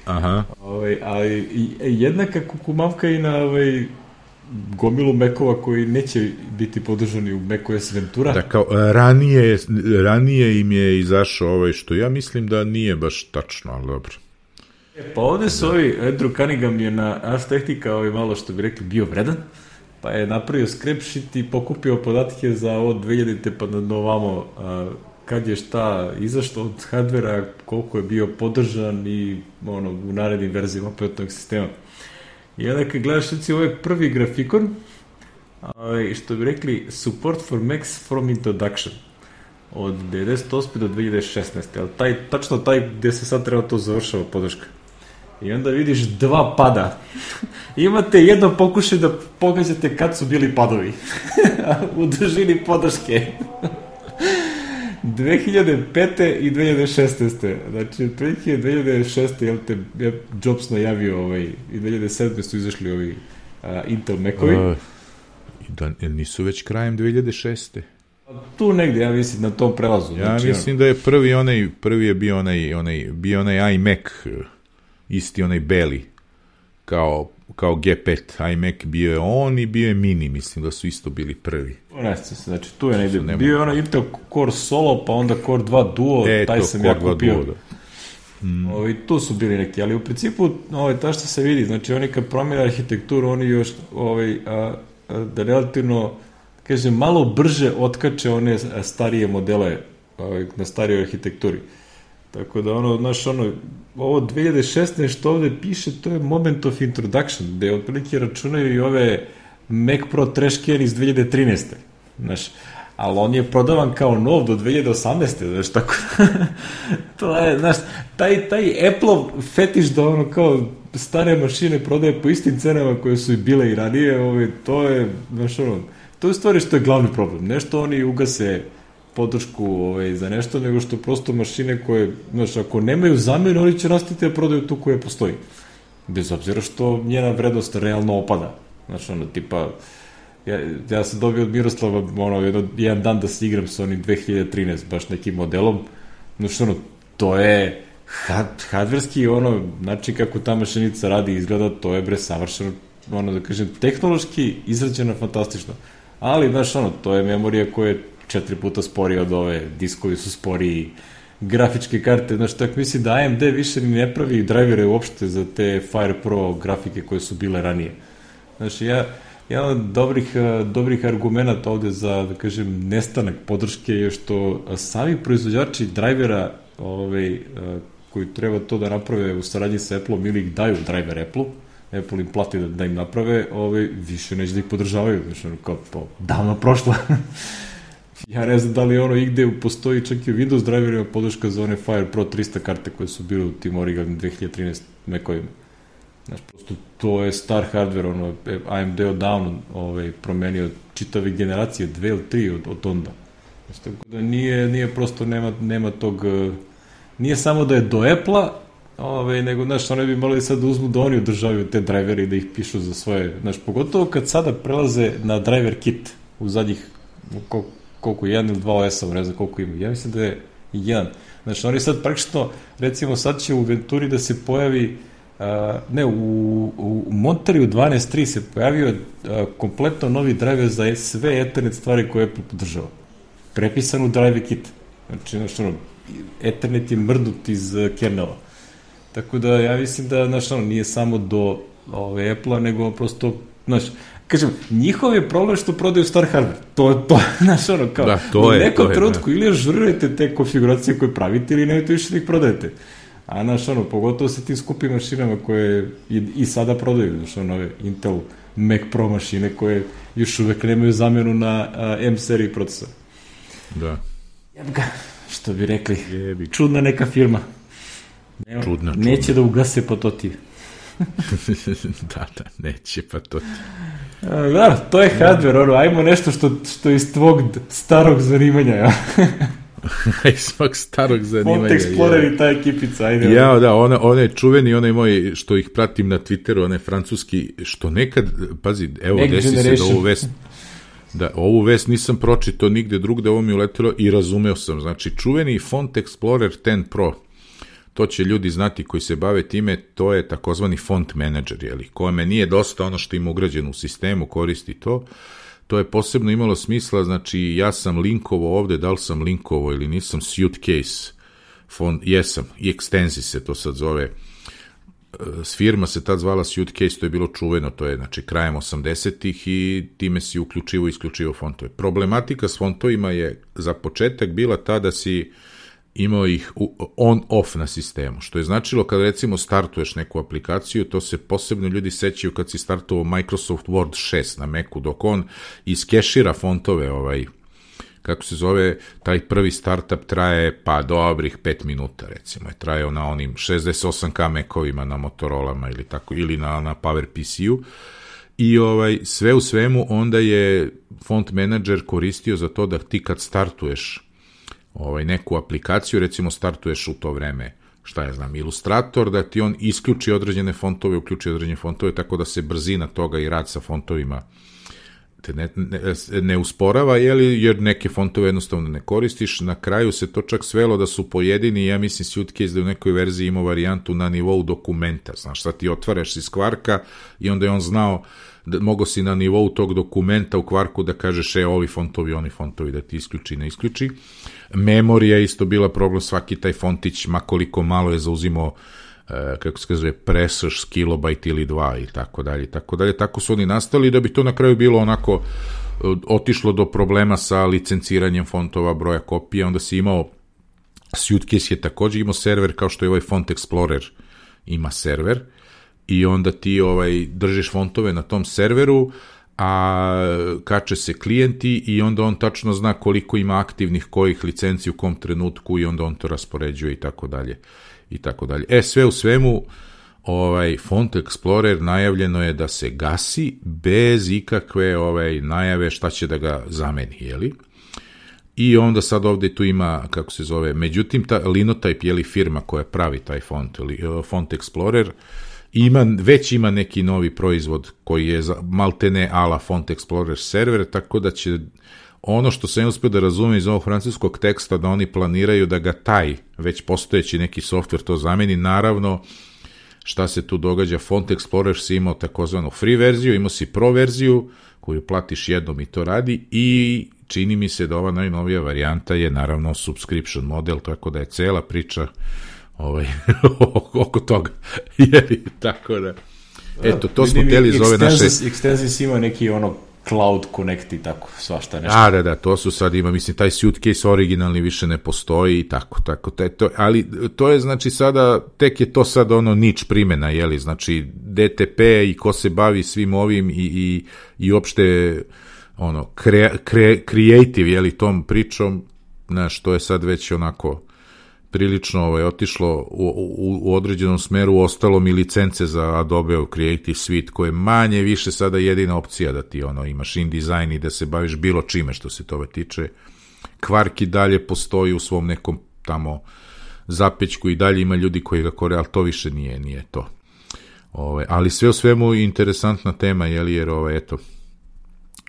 B: Aha.
A: Ovaj, ali jednaka kukumavka i na ovaj, gomilu Macova koji neće biti podržani u macOS Ventura.
B: Da, kao, ranije, ranije im je izašao ovaj, što ja mislim da nije baš tačno, ali dobro.
A: E, pa ovde su ovi, Andrew Cunningham je na Ars Technica ovaj, malo što bi rekli bio vredan, pa je napravio script sheet i pokupio podatke za ovo dve hiljadite pa na ovamo, a, kad je šta izašlo od hardvera, koliko je bio podržan i ono, u narednim verzijama operativnog sistema. I onda kad gledaš reći ovaj prvi grafikon, ovaj, što bi rekli support for Macs from introduction od devedeset osme do dve hiljade šesnaeste. Ali taj, tačno taj gde se sad treba to završava podrška. I onda vidiš dva pada. Imate jedno pokušaj da pogađate kad su bili padovi u dužini podrške. dve hiljade pete i dve hiljade šesnaeste. Znači, dve hiljade šeste. jel te, Jobs najavio ovaj, i dve hiljade sedme su izašli ovi a, Intel Macovi. Uh,
B: da, nisu već krajem dve hiljade šeste.
A: Tu negdje, ja mislim, na tom prelazu.
B: Ja
A: znači,
B: mislim da je prvi onaj, prvi je bio onaj, onaj, bio onaj iMac, isti onaj beli, kao, kao G pet iMac, bio je on i bio je mini, mislim da su isto bili prvi.
A: Nešto se, znači tu je negdje, bio nema... je onaj Intel Core Solo, pa onda Core dva Duo, e, taj sam ja kupio. Duo, mm. Ovi, tu su bili neki, ali u principu, ovaj, ta što se vidi, znači oni kad promijene arhitekturu, oni još, ovaj, a, a, da relativno, kažem, malo brže otkače one starije modele ovaj, na starijoj arhitekturi. Tako da ono, znaš, ono, ovo dve hiljade šesnaeste što ovde piše, to je moment of introduction, gde otprilike računaju i ove Mac Pro trash can iz dve hiljade trinaeste. Znaš, ali on je prodavan kao nov do dve hiljade osamnaeste. Znaš, tako to je, znaš, taj, taj Apple fetiš da ono kao stare mašine prodaje po istim cenama koje su i bile i ranije, ovaj, to je, znaš, ono, to je stvari što je glavni problem. Nešto oni ugase podršku ovaj, za nešto, nego što prosto mašine koje, znaš, ako nemaju zamenu, oni će nastaviti da prodaju tu koja postoji. Bez obzira što njena vrednost realno opada. Znaš, ono, tipa, ja, ja sam dobio od Miroslava ono, jedno, jedan dan da se igram sa onim dve hiljade trinaest, baš nekim modelom. Znaš, ono, to je hard, hardverski, ono, znači kako ta mašinica radi i izgleda, to je bre savršeno, ono, da kažem, tehnološki izrađena fantastično. Ali, znaš, ono, to je memorija koja je četiri puta sporija od ove, diskovi su sporiji, grafičke karte, znaš, tako mislim da A M D više ni ne pravi drajvere uopšte za te Fire Pro grafike koje su bile ranije. Znaš, ja, jedan od dobrih, dobrih argumenta ovde za, da kažem, nestanak podrške je što sami proizvođači drajvera ovaj, koji treba to da naprave u saradnji sa Apple-om ili ih daju drajver Apple-u, Apple im plati da, da im naprave, ovaj, više neće da ih podržavaju, znaš, ono, kao, po, davno prošlo. Ja ne znam da li ono igde postoji čak i u Windows driverima podrška za one Fire Pro trista karte koje su bile u tim originalnim dve hiljade trinaest Mac-ovima. Znaš, prosto to je star hardware, ono, A M D odavno ovaj, promenio čitave generacije, dve ili tri od, od onda. Znaš, tako da nije, nije prosto, nema, nema tog, nije samo da je do Apple-a, ovaj, nego, znaš, one bi morali sad da uzmu da oni održavaju te drivere i da ih pišu za svoje, znaš, pogotovo kad sada prelaze na driver kit u zadnjih, koliko, koliko jedan ili dva O S-a, ne znam koliko ima, ja mislim da je jedan. Znači, oni sad praktično, recimo sad će u Venturi da se pojavi, uh, ne, u, u, u Monterey dvanaest tri se pojavio uh, kompletno novi driver za sve Ethernet stvari koje Apple podržava. Prepisan u driver kit. Znači, znači ono, Ethernet je mrdnut iz uh, kernela. Tako da, ja mislim da, znači, ono, nije samo do ove Apple-a, nego prosto, znači, kažem, njihov je problem što prodaju star hardware. To, to, znaš, ono, kao, da, to u je, nekom trenutku ili ažurirajte te konfiguracije koje pravite ili nemojte više da ih prodajete. A, znaš, ono, pogotovo sa tim skupim mašinama koje i, i sada prodaju, znaš, ono, ove Intel Mac Pro mašine koje još uvek nemaju zamenu na a, M seriji procesora.
B: Da.
A: Jebga, što bi rekli, Jebi. Čudna neka firma. Nema,
B: čudna, čudna.
A: Neće da ugase po to ti.
B: da, da, neće pa to ti.
A: Da, to je hardware, ono, ajmo nešto što, što iz tvog starog zanimanja, ja.
B: iz svog starog zanimanja.
A: Font Explorer i ta ekipica, ajde.
B: Ja, da, one, one čuveni, onaj moj, što ih pratim na Twitteru, one francuski, što nekad, pazi, evo, Next desi generation. Se da ovu vest, da, ovu vest nisam pročitao nigde drugde, ovo mi uletelo i razumeo sam, znači, čuveni Font Explorer deset Pro, to će ljudi znati koji se bave time, to je takozvani font manager, jeli, kojeme nije dosta ono što ima ugrađeno u sistemu, koristi to, to je posebno imalo smisla, znači ja sam linkovo ovde, da li sam linkovo ili nisam, Suitcase, font, jesam, i Extensi se to sad zove, firma se tad zvala Suitcase, to je bilo čuveno, to je znači krajem osamdesetih i time si uključivo i isključivo fontove. Problematika s fontovima je za početak bila ta da si imao ih on-off na sistemu, što je značilo kad recimo startuješ neku aplikaciju, to se posebno ljudi sećaju kad si startovao Microsoft Word šest na Macu, dok on iskešira fontove, ovaj, kako se zove, taj prvi startup traje pa dobrih pet minuta, recimo, je trajao na onim šezdeset osam K Macovima na Motorolama ili tako, ili na, na PowerPC-u, i ovaj, sve u svemu onda je font manager koristio za to da ti kad startuješ ovaj, neku aplikaciju, recimo startuješ u to vreme, šta ja znam, Illustrator, da ti on isključi određene fontove, uključi određene fontove, tako da se brzina toga i rad sa fontovima te ne, ne, ne usporava, jeli, jer neke fontove jednostavno ne koristiš. Na kraju se to čak svelo da su pojedini, ja mislim Suitcase da u nekoj verziji imao varijantu na nivou dokumenta, znaš, sad ti otvaraš iz kvarka i onda je on znao da mogo si na nivou tog dokumenta u kvarku da kažeš, e, ovi fontovi, oni fontovi, da ti isključi, ne isključi. Memorija isto bila problem, svaki taj fontić, makoliko malo je zauzimao, uh, kako se kaže, presrš, kilobajt ili dva i tako dalje, tako dalje. Tako su oni nastali da bi to na kraju bilo onako, uh, otišlo do problema sa licenciranjem fontova, broja kopija, onda si imao, Suitcase je također imao server kao što je ovaj Font Explorer ima server, i onda ti ovaj držiš fontove na tom serveru, a kače se klijenti i onda on tačno zna koliko ima aktivnih kojih licenci u kom trenutku i onda on to raspoređuje i tako dalje i tako dalje. E, sve u svemu, ovaj Font Explorer najavljeno je da se gasi bez ikakve ovaj najave šta će da ga zameni, jeli? I onda sad ovdje tu ima, kako se zove, međutim, ta Linotype, jeli, firma koja pravi taj font, Font Explorer, ima, već ima neki novi proizvod koji je maltene ala Font Explorer server, tako da će ono što sam uspio da razumijem iz ovog francuskog teksta, da oni planiraju da ga taj već postojeći neki softver to zameni. Naravno, šta se tu događa, Font Explorer si imao takozvanu free verziju, imao si pro verziju koju platiš jednom i to radi, i čini mi se da ova najnovija varijanta je naravno subscription model, tako da je cela priča ovaj, oko toga. Jeli, tako da, eto, to smo teli iz ove naše...
A: Extensys ima neki ono cloud connect i tako, svašta nešto.
B: A, da, da, to su sad ima, mislim, taj suitcase originalni više ne postoji i tako, tako, taj, to, ali to je, znači, sada, tek je to sad ono nič primjena, jeli, znači, D T P i ko se bavi svim ovim i, i, i uopšte, ono, kre, kre, creative, jeli, tom pričom, znaš, to je sad već onako prilično ovaj, otišlo u, u, u određenom smeru, ostalo mi licence za Adobe Creative Suite, koje manje više sada jedina opcija da ti ono, imaš InDesign i da se baviš bilo čime što se toga tiče. Quark i dalje postoji u svom nekom tamo zapećku i dalje ima ljudi koji ga kore, ali to više nije, nije to. Ove, ali sve u svemu interesantna tema, jeli, jer ove, eto,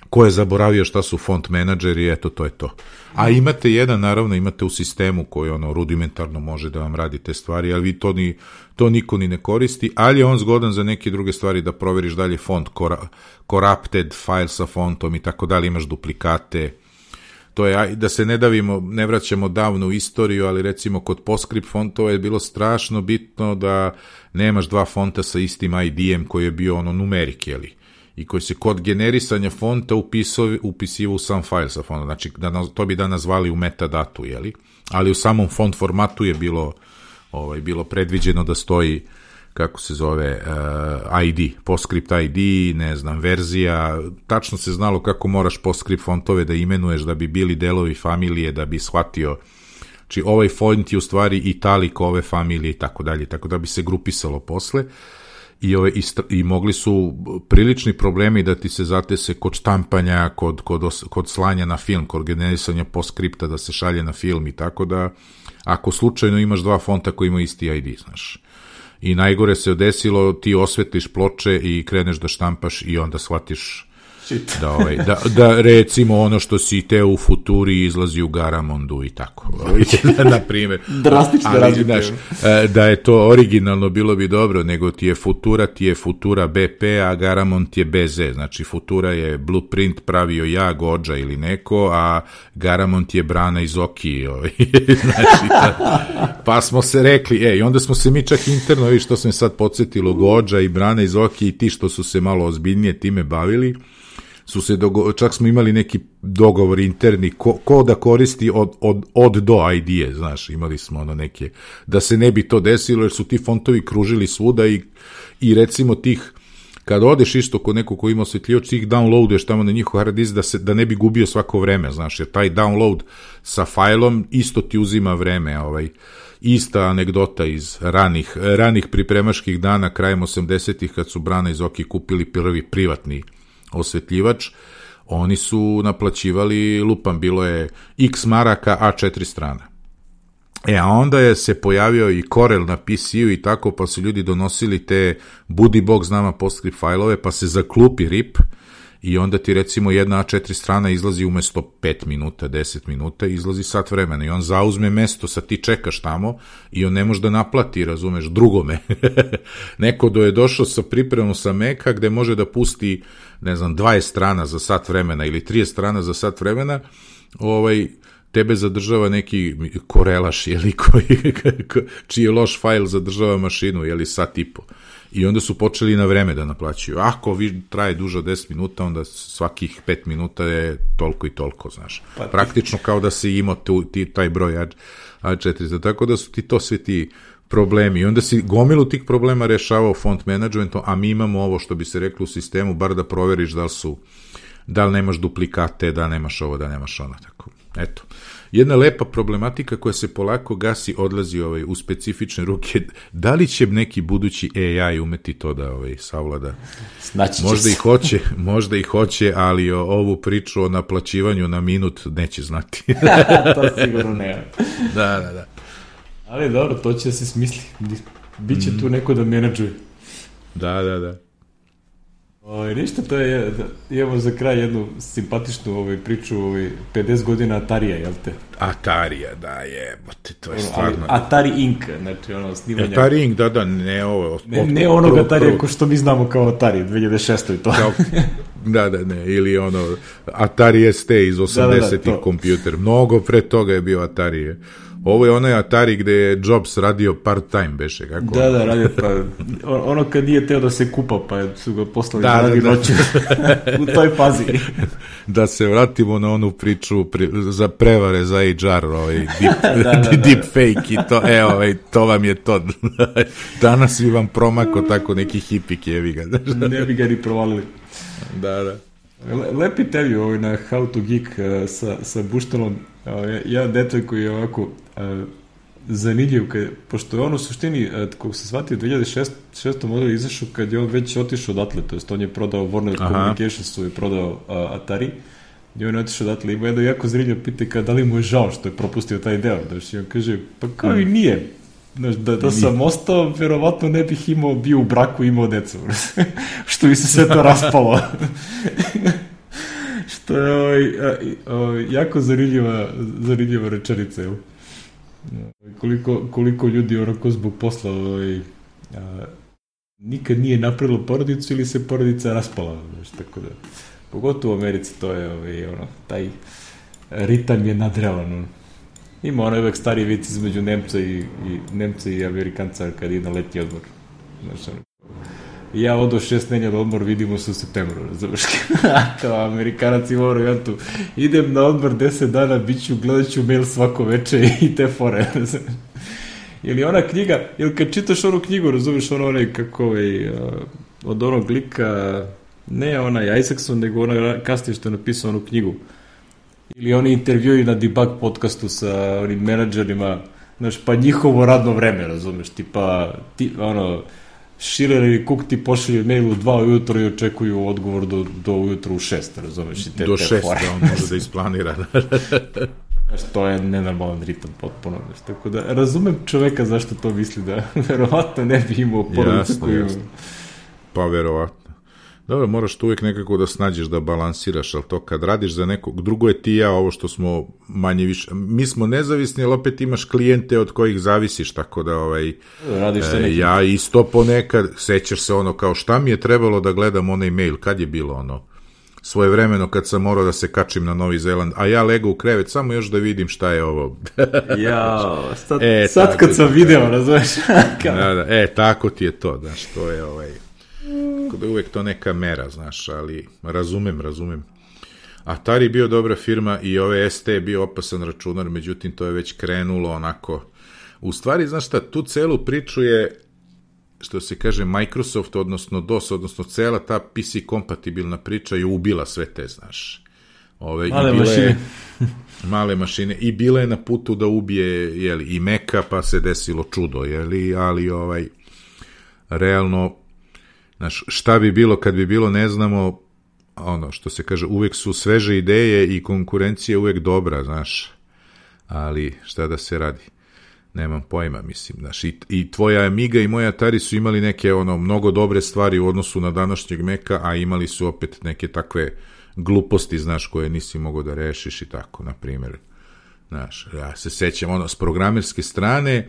B: ko je zaboravio šta su font menadžeri, eto, to je to. A imate jedan, naravno, imate u sistemu koji ono rudimentarno može da vam radi te stvari, ali vi to, ni, to niko ni ne koristi, ali je on zgodan za neke druge stvari da proveriš dalje font, corrupted file sa fontom i tako dalje, imaš duplikate. To je, da se ne davimo, ne vraćamo davno u istoriju, ali recimo kod PostScript fontova je bilo strašno bitno da nemaš dva fonta sa istim I D-em koji je bio ono numerik, jeli, i koji se kod generisanja fonta upisao, upisivao u sam file sa fontom, znači da, to bi danas zvali u metadatu, jeli? Ali u samom font formatu je bilo, ovaj, bilo predviđeno da stoji, kako se zove, uh, I D, PostScript I D, ne znam, verzija, tačno se znalo kako moraš PostScript fontove da imenuješ da bi bili delovi familije, da bi shvatio, znači ovaj font je u stvari italik ove familije i tako dalje, tako da bi se grupisalo posle. I, ove, i, i mogli su prilični problemi da ti se zatese kod štampanja, kod, kod, os, kod slanja na film, kod generisanja postskripta da se šalje na film i tako da, ako slučajno imaš dva fonta koji imaju isti I D, znaš. I najgore se desilo, ti osvetliš ploče i kreneš da štampaš i onda shvatiš da, ovaj, da, da recimo ono što si te u Futuri izlazi u Garamondu i tako. Na primjer.
A: Drastično različite.
B: Da je to originalno bilo bi dobro, nego ti je Futura, ti je Futura B P, a Garamond ti je B Z. Znači Futura je Blueprint pravio ja, Gođa ili neko, a Garamond je Brana iz Oki. Znači, ta, pa smo se rekli, ej, onda smo se mi čak interno, vi što sam sad podsjetilo, Gođa i Brana iz Oki i ti što su se malo ozbiljnije time bavili, su se dogo- čak smo imali neki dogovor interni ko, ko da koristi od, od, od do I D-e, znaš, imali smo ono neke, da se ne bi to desilo, jer su ti fontovi kružili svuda i, i recimo tih, kad odeš isto kod nekog ko ima osvetljivač, ti ih downloaduješ tamo na njihov hard disk da, se, da ne bi gubio svako vreme, znaš, jer taj download sa fajlom isto ti uzima vreme, ovaj, ista anegdota iz ranih, ranih pripremaških dana, krajem osamdesetih, kad su Brana iz Oki kupili prvi privatni osvetljivač, oni su naplaćivali, lupam, bilo je x maraka, a četiri strana. E, a onda je se pojavio i Corel na P C-u i tako, pa su ljudi donosili te budi bog znama PostScript fajlove, pa se zaklupi rip i onda ti recimo jedna A četiri strana izlazi umesto pet minuta, deset minuta, izlazi sat vremena i on zauzme mesto, sad ti čekaš tamo i on ne može da naplati, razumeš, drugome. Neko do je došao sa pripremom sa Maca gde može da pusti, ne znam, dvadeset strana za sat vremena ili trideset strana za sat vremena, ovaj, tebe zadržava neki korelaš, jeli, koji, čiji loš fajl zadržava mašinu, jeli, sat i po. I onda su počeli na vreme da naplaćuju. Ako vi traje duže od deset minuta, onda svakih pet minuta je toliko i toliko, znaš. Pa, praktično kao da si imao tu, ti, taj broj A četiri, tako da su ti to svi ti problemi. I onda si gomilu tih problema rešavao font managementom, a mi imamo ovo što bi se reklo u sistemu, bar da proveriš da li su, da li nemaš duplikate, da nemaš ovo, da nemaš ono, tako. Eto. jedna lepa problematika koja se polako gasi, odlazi ovaj, u specifične ruke. Da li će neki budući A I umeti to da ovaj, savlada?
A: Znači
B: možda i hoće, možda i hoće, ali o, ovu priču o naplaćivanju na minut neće znati.
A: To sigurno ne.
B: Da, da, da.
A: Ali dobro, to će se smisli. Biće mm. tu neko da menadžuje.
B: Da, da, da.
A: O, ništa, to je, da, imamo za kraj jednu simpatičnu ovaj, priču ovaj, pedeset godina Atarija, jel te?
B: Atarija, da, jebote, to je stvarno...
A: Atari Incorporated, znači ono snimanje...
B: Atari Incorporated, da, da, ne ovo...
A: Ne, od, ne onog Atarija ko što mi znamo kao Atari, dve hiljade šeste i to.
B: Kao, da, da, ne, ili ono, Atari S T iz osamdesetih da, da, da, kompjuter, mnogo pre toga je bio Atari. Ovo je onaj Atari gde je Jobs radio part-time, beše, kako?
A: Da, da, radio, pa ono kad nije teo da se kupa, pa su ga poslali da, radi da, noću da. U toj fazi.
B: Da se vratimo na onu priču pri, za prevare, za H R, ovaj, deep, da, da, da, deep fake i to, evo, ovaj, to vam je to. Danas bi vam promako tako neki hipik, jevi ga.
A: Ne bi ga ni provalili.
B: Da, da.
A: Lepi tebi ovaj na How to Geek uh, sa, sa Buštelom. Uh, jedan detalj koji je ovako uh, zanimljiv, kad, pošto je on u suštini, uh, kako se shvatio, dve hiljade šeste. model izašao kad je on već otišao odatle, to jest on je prodao Warner Aha. Communicationsu, je prodao uh, Atari, i on je otišao odatle. Ima jedno jako zanimljivo pitanje kada li mu je žao što je propustio taj deo. Znači, on kaže, pa kao i nije. Znači, da, da sam ostao, verovatno ne bih imao, bio u braku i imao decu. Što bi se sve to raspalo. Što je ovaj, ovaj, jako zanimljiva, zanimljiva rečenica, jel? Koliko, koliko ljudi onako zbog posla ovaj, a, nikad nije napravilo porodicu ili se porodica raspala, znači, tako da, pogotovo u Americi to je ovaj, ono, taj ritam je nadrealan, ono. Ima onaj uvek stariji vic između Nemca i, i Nemca i Amerikanca kad je na letnji odmor. Znači, ono, ja odo šest nedelja na odmor, vidimo se u septembru, razumiješ? Kao Amerikanac ima varijantu, idem na odmor deset dana, bit ću, gledat ću mail svako veče i te fore. Ili ona knjiga, ili kad čitaš onu knjigu, razumiješ, ono onaj kako ovaj, od onog lika, ne onaj Isaacson, nego ona kasnije što je napisao onu knjigu. Ili oni intervjuju na Debug podcastu sa onim menadžerima, znaš, pa njihovo radno vreme, razumeš, tipa, ti, ono, Schiller ili Cook ti pošalju mail u dva ujutro i očekuju odgovor do, do ujutro u šest, razumeš, i te,
B: do
A: te
B: šest,
A: fore.
B: Da on može da isplanira.
A: Znaš, to je nenormalan ritam potpuno, znaš, tako da razumem čoveka zašto to misli, da verovatno ne bi imao porodicu koju ima.
B: Pa verovatno. Dobro, moraš tu uvijek nekako da snađeš, da balansiraš, ali to kad radiš za nekog, drugo je ti ja, ovo što smo manje više, mi smo nezavisni, ali opet imaš klijente od kojih zavisiš, tako da ovaj,
A: radiš se
B: e, ja isto ponekad, sećaš se ono kao šta mi je trebalo da gledam onaj mail, kad je bilo ono, svojevremeno kad sam morao da se kačim na Novi Zeland, a ja legao u krevet, samo još da vidim šta je ovo.
A: Jao, sad, e, sad kad sam video, razumeš?
B: Da, da, e, tako ti je to, znaš, to je ovaj... da je uvijek to neka mera, znaš, ali razumem, razumem. Atari bio dobra firma i ove S T je bio opasan računar, međutim to je već krenulo onako. U stvari, znaš šta, tu celu priču je, što se kaže, Microsoft, odnosno DOS, odnosno cela ta P C kompatibilna priča je ubila sve te, znaš. Ove,
A: male
B: i
A: mašine.
B: Je, male mašine. I bila je na putu da ubije, jeli, i Meka, pa se desilo čudo, jeli, ali ovaj, realno, znaš, šta bi bilo kad bi bilo, ne znamo, ono, što se kaže, uvijek su sveže ideje i konkurencija uvijek dobra, znaš, ali šta da se radi, nemam pojma, mislim, znaš, i, i tvoja Amiga i moja Atari su imali neke, ono, mnogo dobre stvari u odnosu na današnjeg Meka, a imali su opet neke takve gluposti, znaš, koje nisi mogao da rešiš i tako, na primjer, znaš, ja se sećam, ono, s programerske strane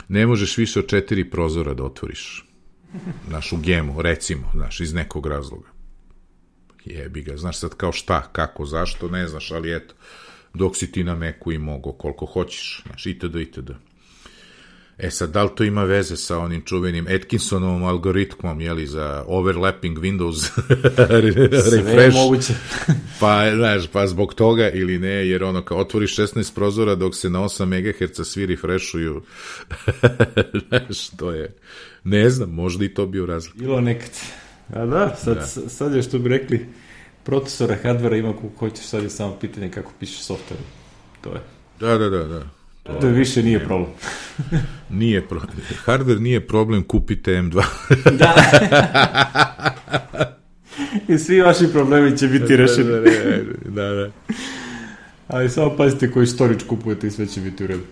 B: ne možeš više od četiri prozora da otvoriš. Znaš, u gemu, recimo, znaš, iz nekog razloga. Jebi ga, znaš sad kao šta, kako, zašto, ne znaš, ali eto, dok si ti na Macu i mogo, koliko hoćeš, znaš, itd., itd. E sad, da li to ima veze sa onim čuvenim Atkinsonovom algoritmom, jeli, za overlapping Windows refresh?
A: Sve je moguće.
B: Pa, znaš, pa zbog toga ili ne, jer ono, kao otvoriš šesnaest prozora dok se na osam megaherca svi refreshuju. Znaš, to je, ne znam, možda i to bio razlik.
A: Bilo nekad. A da, sad, da. sad je što bi rekli, procesora, hardvera ima koliko hoćeš, sad je samo pitanje kako pišeš software. To je.
B: Da, da, da, da.
A: To, to više nije problem.
B: Nije problem. Hardware nije problem, kupite em dva.
A: Da. I svi vaši problemi će biti rešeni.
B: Da, da.
A: Ali samo pazite koji storage kupujete i sve će biti u redu.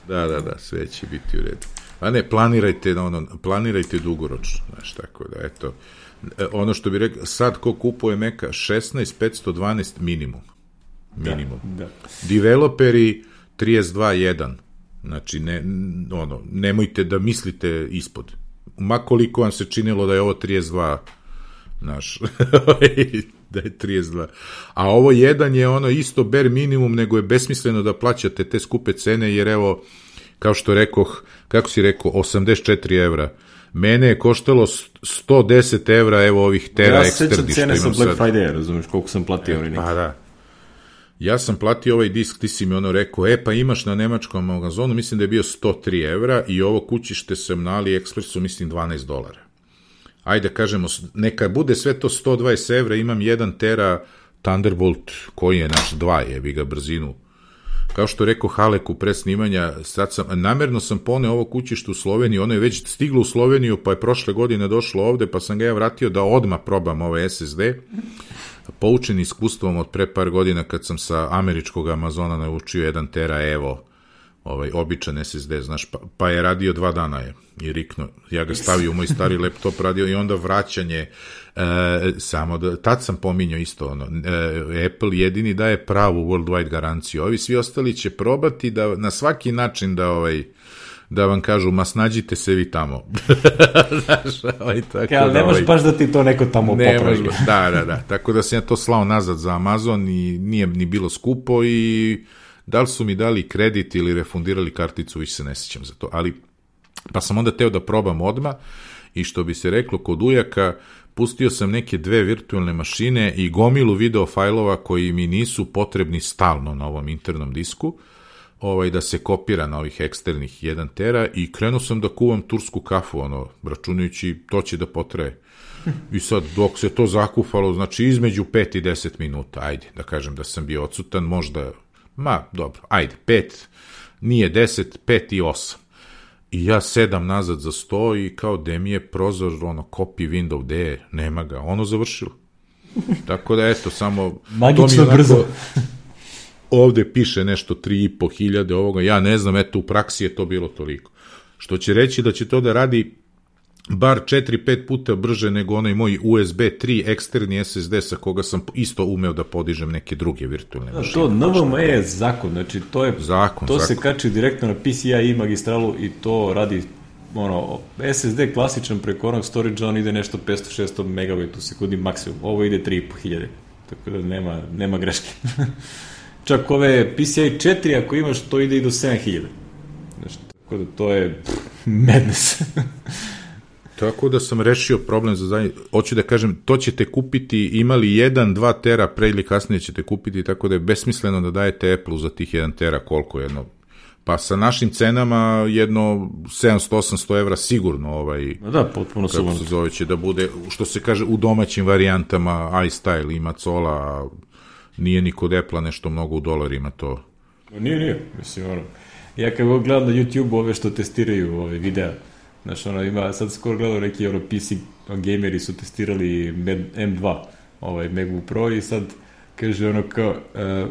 B: Da, da, da, sve će biti u redu. A ne, planirajte, ono, planirajte dugoročno, znaš, tako da, eto, ono što bi rekao, sad ko kupuje Maca, šesnaest petsto dvanaest minimum. Minimum.
A: Da, da.
B: Developeri trideset dva jedan. Znači, ne, ono, nemojte da mislite ispod. Makoliko vam se činilo da je ovo trideset dva, znaš, da je trideset dva. A ovo jedan je ono isto bare minimum, nego je besmisleno da plaćate te skupe cene, jer evo, kao što rekoh, kako si rekao, osamdeset četiri evra. Mene je koštalo sto deset evra, evo ovih tera eksterdi što imam sad.
A: Ja sećam cene sa Black Friday, razumiješ, koliko sam platio.
B: E, pa da. Ja sam platio ovaj disk, ti si mi ono rekao, e pa imaš na nemačkom Amazonu, mislim da je bio sto tri evra i ovo kućište sam na AliExpressu, mislim dvanaest dolara. Ajde kažemo, neka bude sve to sto dvadeset evra, imam jedan tera Thunderbolt koji je naš dva, jebi ga brzinu. Kao što rekao Haleku pre snimanja, sad sam, namerno sam poneo ovo kućište u Sloveniju, ono je već stiglo u Sloveniju, pa je prošle godine došlo ovde, pa sam ga ja vratio da odmah probam ovaj es es de, poučen iskustvom od pre par godina kad sam sa američkog Amazona naučio jedan tera Evo, ovaj, običan es es de, znaš, pa, pa je radio dva dana je, i rikno, ja ga stavio u moj stari laptop, radio i onda vraćanje, e, samo da, tad sam pominjao isto, ono, e, Apple jedini daje pravu worldwide garanciju, ovi svi ostali će probati da, na svaki način da, ovaj, da vam kažu, ma snađite se vi tamo. Znaš, ovaj, tako
A: ja,
B: da,
A: ne možeš
B: ovaj,
A: baš da ti to neko tamo popravi.
B: Da, da, da, tako da sam ja to slao nazad za Amazon i nije ni bilo skupo i da li su mi dali kredit ili refundirali karticu, više se ne sjećam za to, ali pa sam onda teo da probam odmah i što bi se reklo kod ujaka, pustio sam neke dve virtualne mašine i gomilu video fajlova koji mi nisu potrebni stalno na ovom internom disku, ovaj, da se kopira na ovih eksternih jedan tera i krenuo sam da kuvam tursku kafu, ono, računajući to će da potraje. I sad, dok se to zakufalo, znači između pet i deset minuta, ajde, da kažem da sam bio odsutan, možda, ma, dobro, ajde, pet, nije deset, pet i osam. I ja sedam nazad za sto i kao da mi je prozor, ono, copy window, gde je, nema ga, ono završilo. Tako da, eto, samo...
A: Magično brzo.
B: Ovde piše nešto tri i po hiljade ovoga, ja ne znam, eto, u praksi je to bilo toliko. Što će reći da će to da radi bar četiri pet puta brže nego onaj moj U S B tri eksterni es es de sa koga sam isto umeo da podižem neke druge virtualne mašine.
A: To N V M E je zakon, znači to je
B: zakon,
A: to
B: zakon.
A: Se kači direktno na P C I E magistralu i to radi ono, es es de klasičan preko onog storage, on ide nešto petsto šesto megabajta u sekundi maksimum, ovo ide tri i po hiljade, tako da nema, nema greške. Čak ove P C I četiri ako imaš, to ide i do sedam hiljada. Znači, tako da to je pff, madness.
B: Tako da sam rešio problem za zadnje, hoću da kažem, to ćete kupiti, imali jedan, dva tera, pre ili kasnije ćete kupiti, tako da je besmisleno da dajete Apple za tih jedan tera, koliko jedno, pa sa našim cenama jedno sedamsto osamsto evra sigurno, ovaj,
A: da, potpuno
B: kako se zove, će da bude, što se kaže, u domaćim varijantama, iStyle ima cola, nije ni kod Apple-a nešto mnogo u dolarima to.
A: Nije, nije, mislim, ono, ja kako gledam na YouTube ove što testiraju ove videa, znaš, ono, ima, sad skoro gledao neki ono, P C gameri su testirali M dva, ovaj, MacBook Pro i sad kaže ono kao, uh,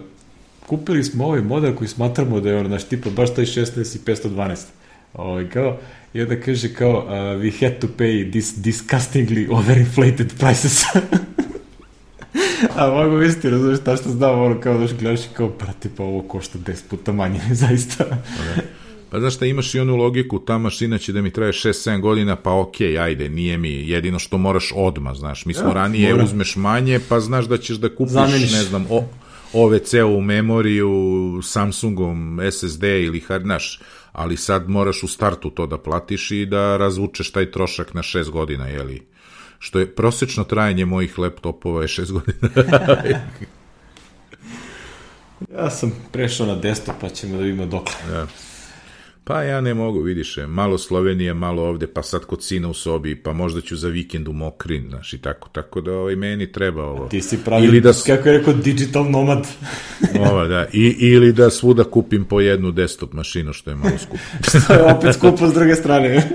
A: kupili smo ovaj model koji smatramo da je ono, naš tipa baš taj šesnaest i petsto dvanaest, ovaj, kao, i onda kaže kao, uh, we had to pay this disgustingly overinflated prices. A mogu misliti, razumiješ, ta što znam, ono, kao daš gledaš i kao, prati, pa ovo košta deset puta manje, zaista.
B: Okay. Pa znaš šta, imaš i onu logiku, ta mašina će da mi traje šest sedam godina, pa okej, okay, ajde, nije mi, jedino što moraš odmah, znaš, mi smo ja, ranije mora. Uzmeš manje, pa znaš da ćeš da kupiš, Zameniš. ne znam, o, O V C-u memoriju, Samsungom es es de ili, znaš, ali sad moraš u startu to da platiš i da razvučeš taj trošak na šest godina, jeli, što je prosečno trajanje mojih laptopova je šest godina.
A: Ja sam prešao na desktop, pa ćemo da vidimo dokle.
B: Ja. Pa ja ne mogu, vidiš, malo Slovenije, malo ovde, pa sad kod sina u sobi, pa možda ću za vikend u Mokrin, znaš, i tako, tako da ovaj, meni treba ovo.
A: Ti si pravi, da, kako je rekao, digital nomad.
B: Ova, da, I, ili da svuda kupim po jednu desktop mašinu, što je malo skupo.
A: Što je opet skupo s druge strane.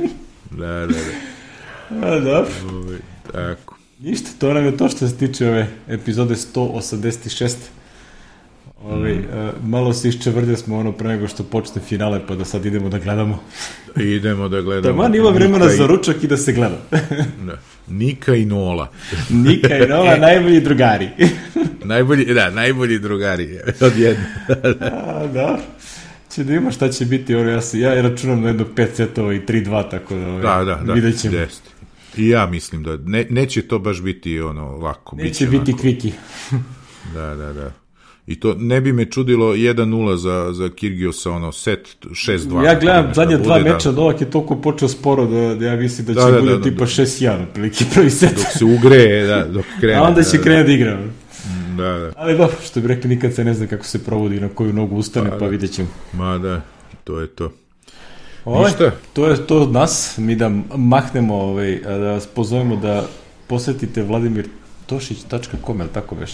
B: Da, da, da.
A: A, dobro.
B: Ovaj, tako.
A: Ništa, to nam je to što se tiče ove epizode sto osamdeset šest. Ovi, mm. uh, malo se iščevrlja smo ono pre nego što počne finale, pa da sad idemo da gledamo.
B: Idemo da gledamo.
A: Taman ima vremena i... za ručak i da se gleda.
B: Da. Nika i Nola.
A: Nika i Nola, najbolji drugari.
B: najbolji, da, najbolji drugari. Odjedno.
A: A, da. Će da ima šta će biti, ono, ja, se, ja računam na jedno pet setova i tri dva, tako da, ove,
B: da, da, da,
A: vidjet ćemo.
B: Jeste. I ja mislim da ne, neće to baš biti ono lako.
A: Neće biti onako... kviki.
B: Da, da, da. I to ne bi me čudilo jedan nula za, za Kirgiosa, ono, set šest dva.
A: Ja gledam zadnje da dva meča, da... Novak je toliko počeo sporo da, da ja mislim da će da, da, bude da, da, tipa šest jedan, prilike prvi set.
B: Dok se ugreje, da, dok krene.
A: A onda će
B: da,
A: krene da igra.
B: Da, da.
A: Ali dobro, što bi rekli, nikad se ne zna kako se provodi, na koju nogu ustane, pa, pa vidjet ćemo.
B: Ma da, to je to.
A: Oj, to je to od nas, mi da mahnemo, ovaj, da vas pozovemo da posetite vladimir tošić tačka com, ali tako veš?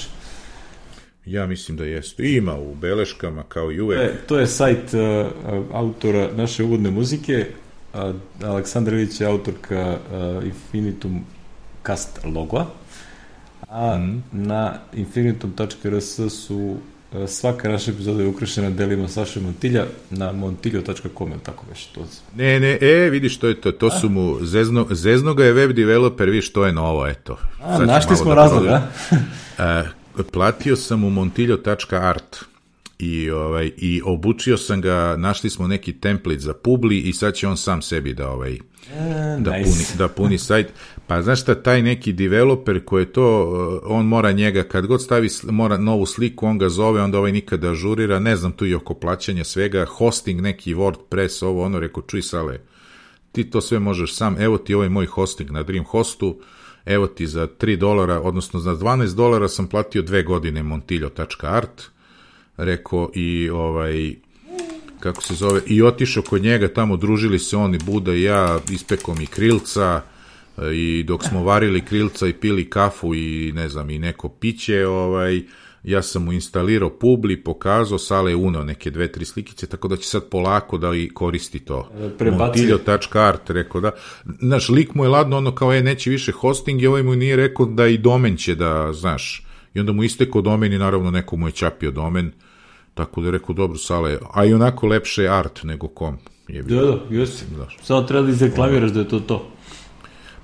B: Ja mislim da jeste. Ima u beleškama, kao i uvek.
A: To je, to je sajt uh, autora naše uvodne muzike. Uh, Aleksandra Ilić je autorka uh, Infinitum Cast logoa. A mm. na infinitum tačka r s su uh, svaka naša epizoda je ukrašena delima Saše Montilja na montiljo tačka com, tako već to.
B: Ne, ne, e, vidiš, to je to. To su mu, zezno, zezno ga je web developer, viš, to je novo, eto.
A: A, našli smo razlog, a?
B: uh, Platio sam u montiljo tačka art i, ovaj, i obučio sam ga, našli smo neki template za Publi i sad će on sam sebi da, ovaj,
A: e,
B: da,
A: nice.
B: puni, da puni sajt. Pa znaš šta, taj neki developer koji je to, on mora njega, kad god stavi mora novu sliku, on ga zove, onda ovaj nikada ažurira, ne znam tu i oko plaćanja svega, hosting neki WordPress, ovo ono, reko, čuj Sale, ti to sve možeš sam, evo ti ovaj moj hosting na Dreamhostu, evo ti za tri dolara, odnosno za dvanaest dolara sam platio dve godine montiljo tačka art, rekao i ovaj, kako se zove, i otišao kod njega, tamo družili se on i Buda i ja, ispekao mi krilca i dok smo varili krilca i pili kafu i ne znam i neko piće, ovaj, ja sam mu instalirao Publi, pokazao, Sale je uneo neke dve, tri slikice, tako da će sad polako da i koristi to. montiljo tačka art, rekao da. Znaš, lik mu je ladno ono kao, e, neće više hosting i ovaj mu nije rekao da i domen će da, znaš, i onda mu istekao domen i naravno neko mu je čapio domen, tako da je rekao, dobro Sale, a i onako lepše art nego kom. Je
A: da, da, jesi. Samo treba da izreklamiraš da je to to.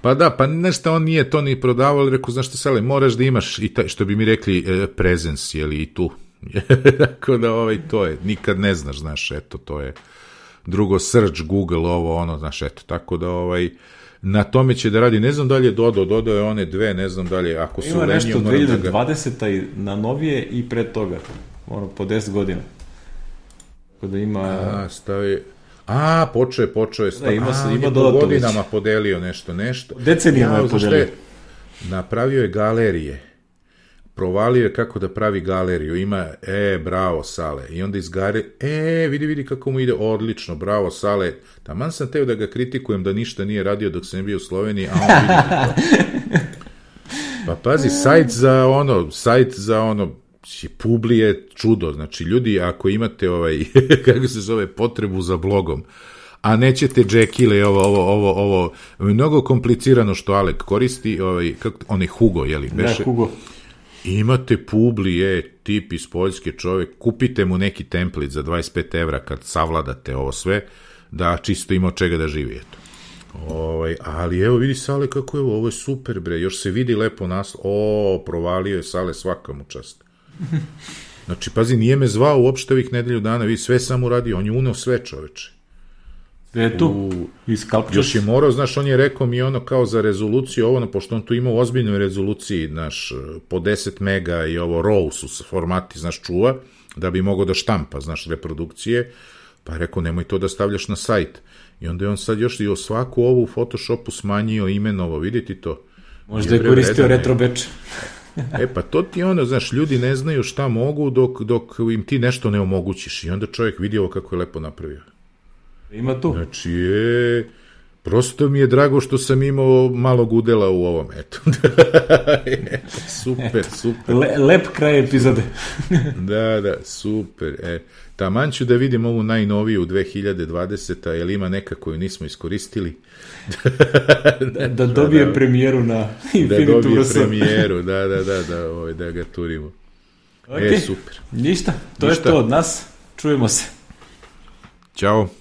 B: Pa da, pa nešto on nije to ni prodavao, ali rekao, znaš što Sale, moraš da imaš i taj, što bi mi rekli, e, presence, jeli, i tu. Tako da, ovaj, to je, nikad ne znaš, znaš, eto, to je drugo search, Google, ovo, ono, znaš, eto, tako da, ovaj, na tome će da radi, ne znam da li je dodao, dodao je one dve, ne znam da li je, ako su
A: ima lenio, nešto dve hiljade dvadeseta Da ga... na novije i pre toga, ono, po deset godina. Tako da ima...
B: A, stavi... A, počeo je, počeo je.
A: Da, ima,
B: A,
A: ima
B: po godinama podelio nešto, nešto.
A: Decenijama
B: ja,
A: je podelio.
B: Napravio je galerije. Provalio je kako da pravi galeriju. Ima, e, bravo, Sale. I onda izgare, e, vidi, vidi kako mu ide, odlično, bravo, Sale. Taman sam teo da ga kritikujem da ništa nije radio dok sam bio u Sloveniji, a on vidi to. Pa pazi, sajt za ono, sajt za ono, Publi je čudo, znači ljudi ako imate ovaj, kako se zove, potrebu za blogom, a nećete Jekyll, ovo, ovo, ovo, ovo, mnogo komplicirano što Alek koristi, ovaj, kako, on je Hugo, jeli?
A: Beše? Da, Hugo.
B: Imate Publi, je, tip iz Poljske čovjek, kupite mu neki template za dvadeset pet evra kad savladate ovo sve, da čisto ima od čega da živi, eto. Ovaj, ali evo vidi Sale kako je ovo, ovo je super bre, još se vidi lepo nas, o, provalio je Sale, svaka mu čast. Znači, pazi, nije me zvao uopšte ovih nedelju dana, vi sve sam uradio, on je uneo sve, čoveče.
A: Sve je tu, iskalpčeš.
B: Još je morao, znaš, on je rekao mi ono kao za rezoluciju, ovo, pošto on tu ima u ozbiljnoj rezoluciji, znaš, po deset mega i ovo RAW su formati, znaš, čuva, da bi mogao da štampa, znaš, reprodukcije, pa je rekao, nemoj to da stavljaš na sajt. I onda je on sad još i o svaku ovu u Photoshopu smanjio imenovo, vidite to.
A: Možda je koristio retro batch.
B: E pa to ti ono, znaš, ljudi ne znaju šta mogu dok, dok im ti nešto ne omogućiš i onda čovjek vidi ovo kako je lepo napravio.
A: Ima tu.
B: Znači, je... Prosto mi je drago što sam imao malog udela u ovom, eto. Super, super.
A: Le, lep kraj epizode.
B: Da, da, super. E, taman ću da vidim ovu najnoviju dve hiljade dvadesete. Jel ima neka koju nismo iskoristili?
A: da, da dobije da, premijeru na Infinitum.
B: Da dobije premijeru, da, da, da, da, ovaj, da ga turimo.
A: Okay.
B: E, super.
A: Ništa, to Ništa. je to od nas. Čujemo se.
B: Ćao.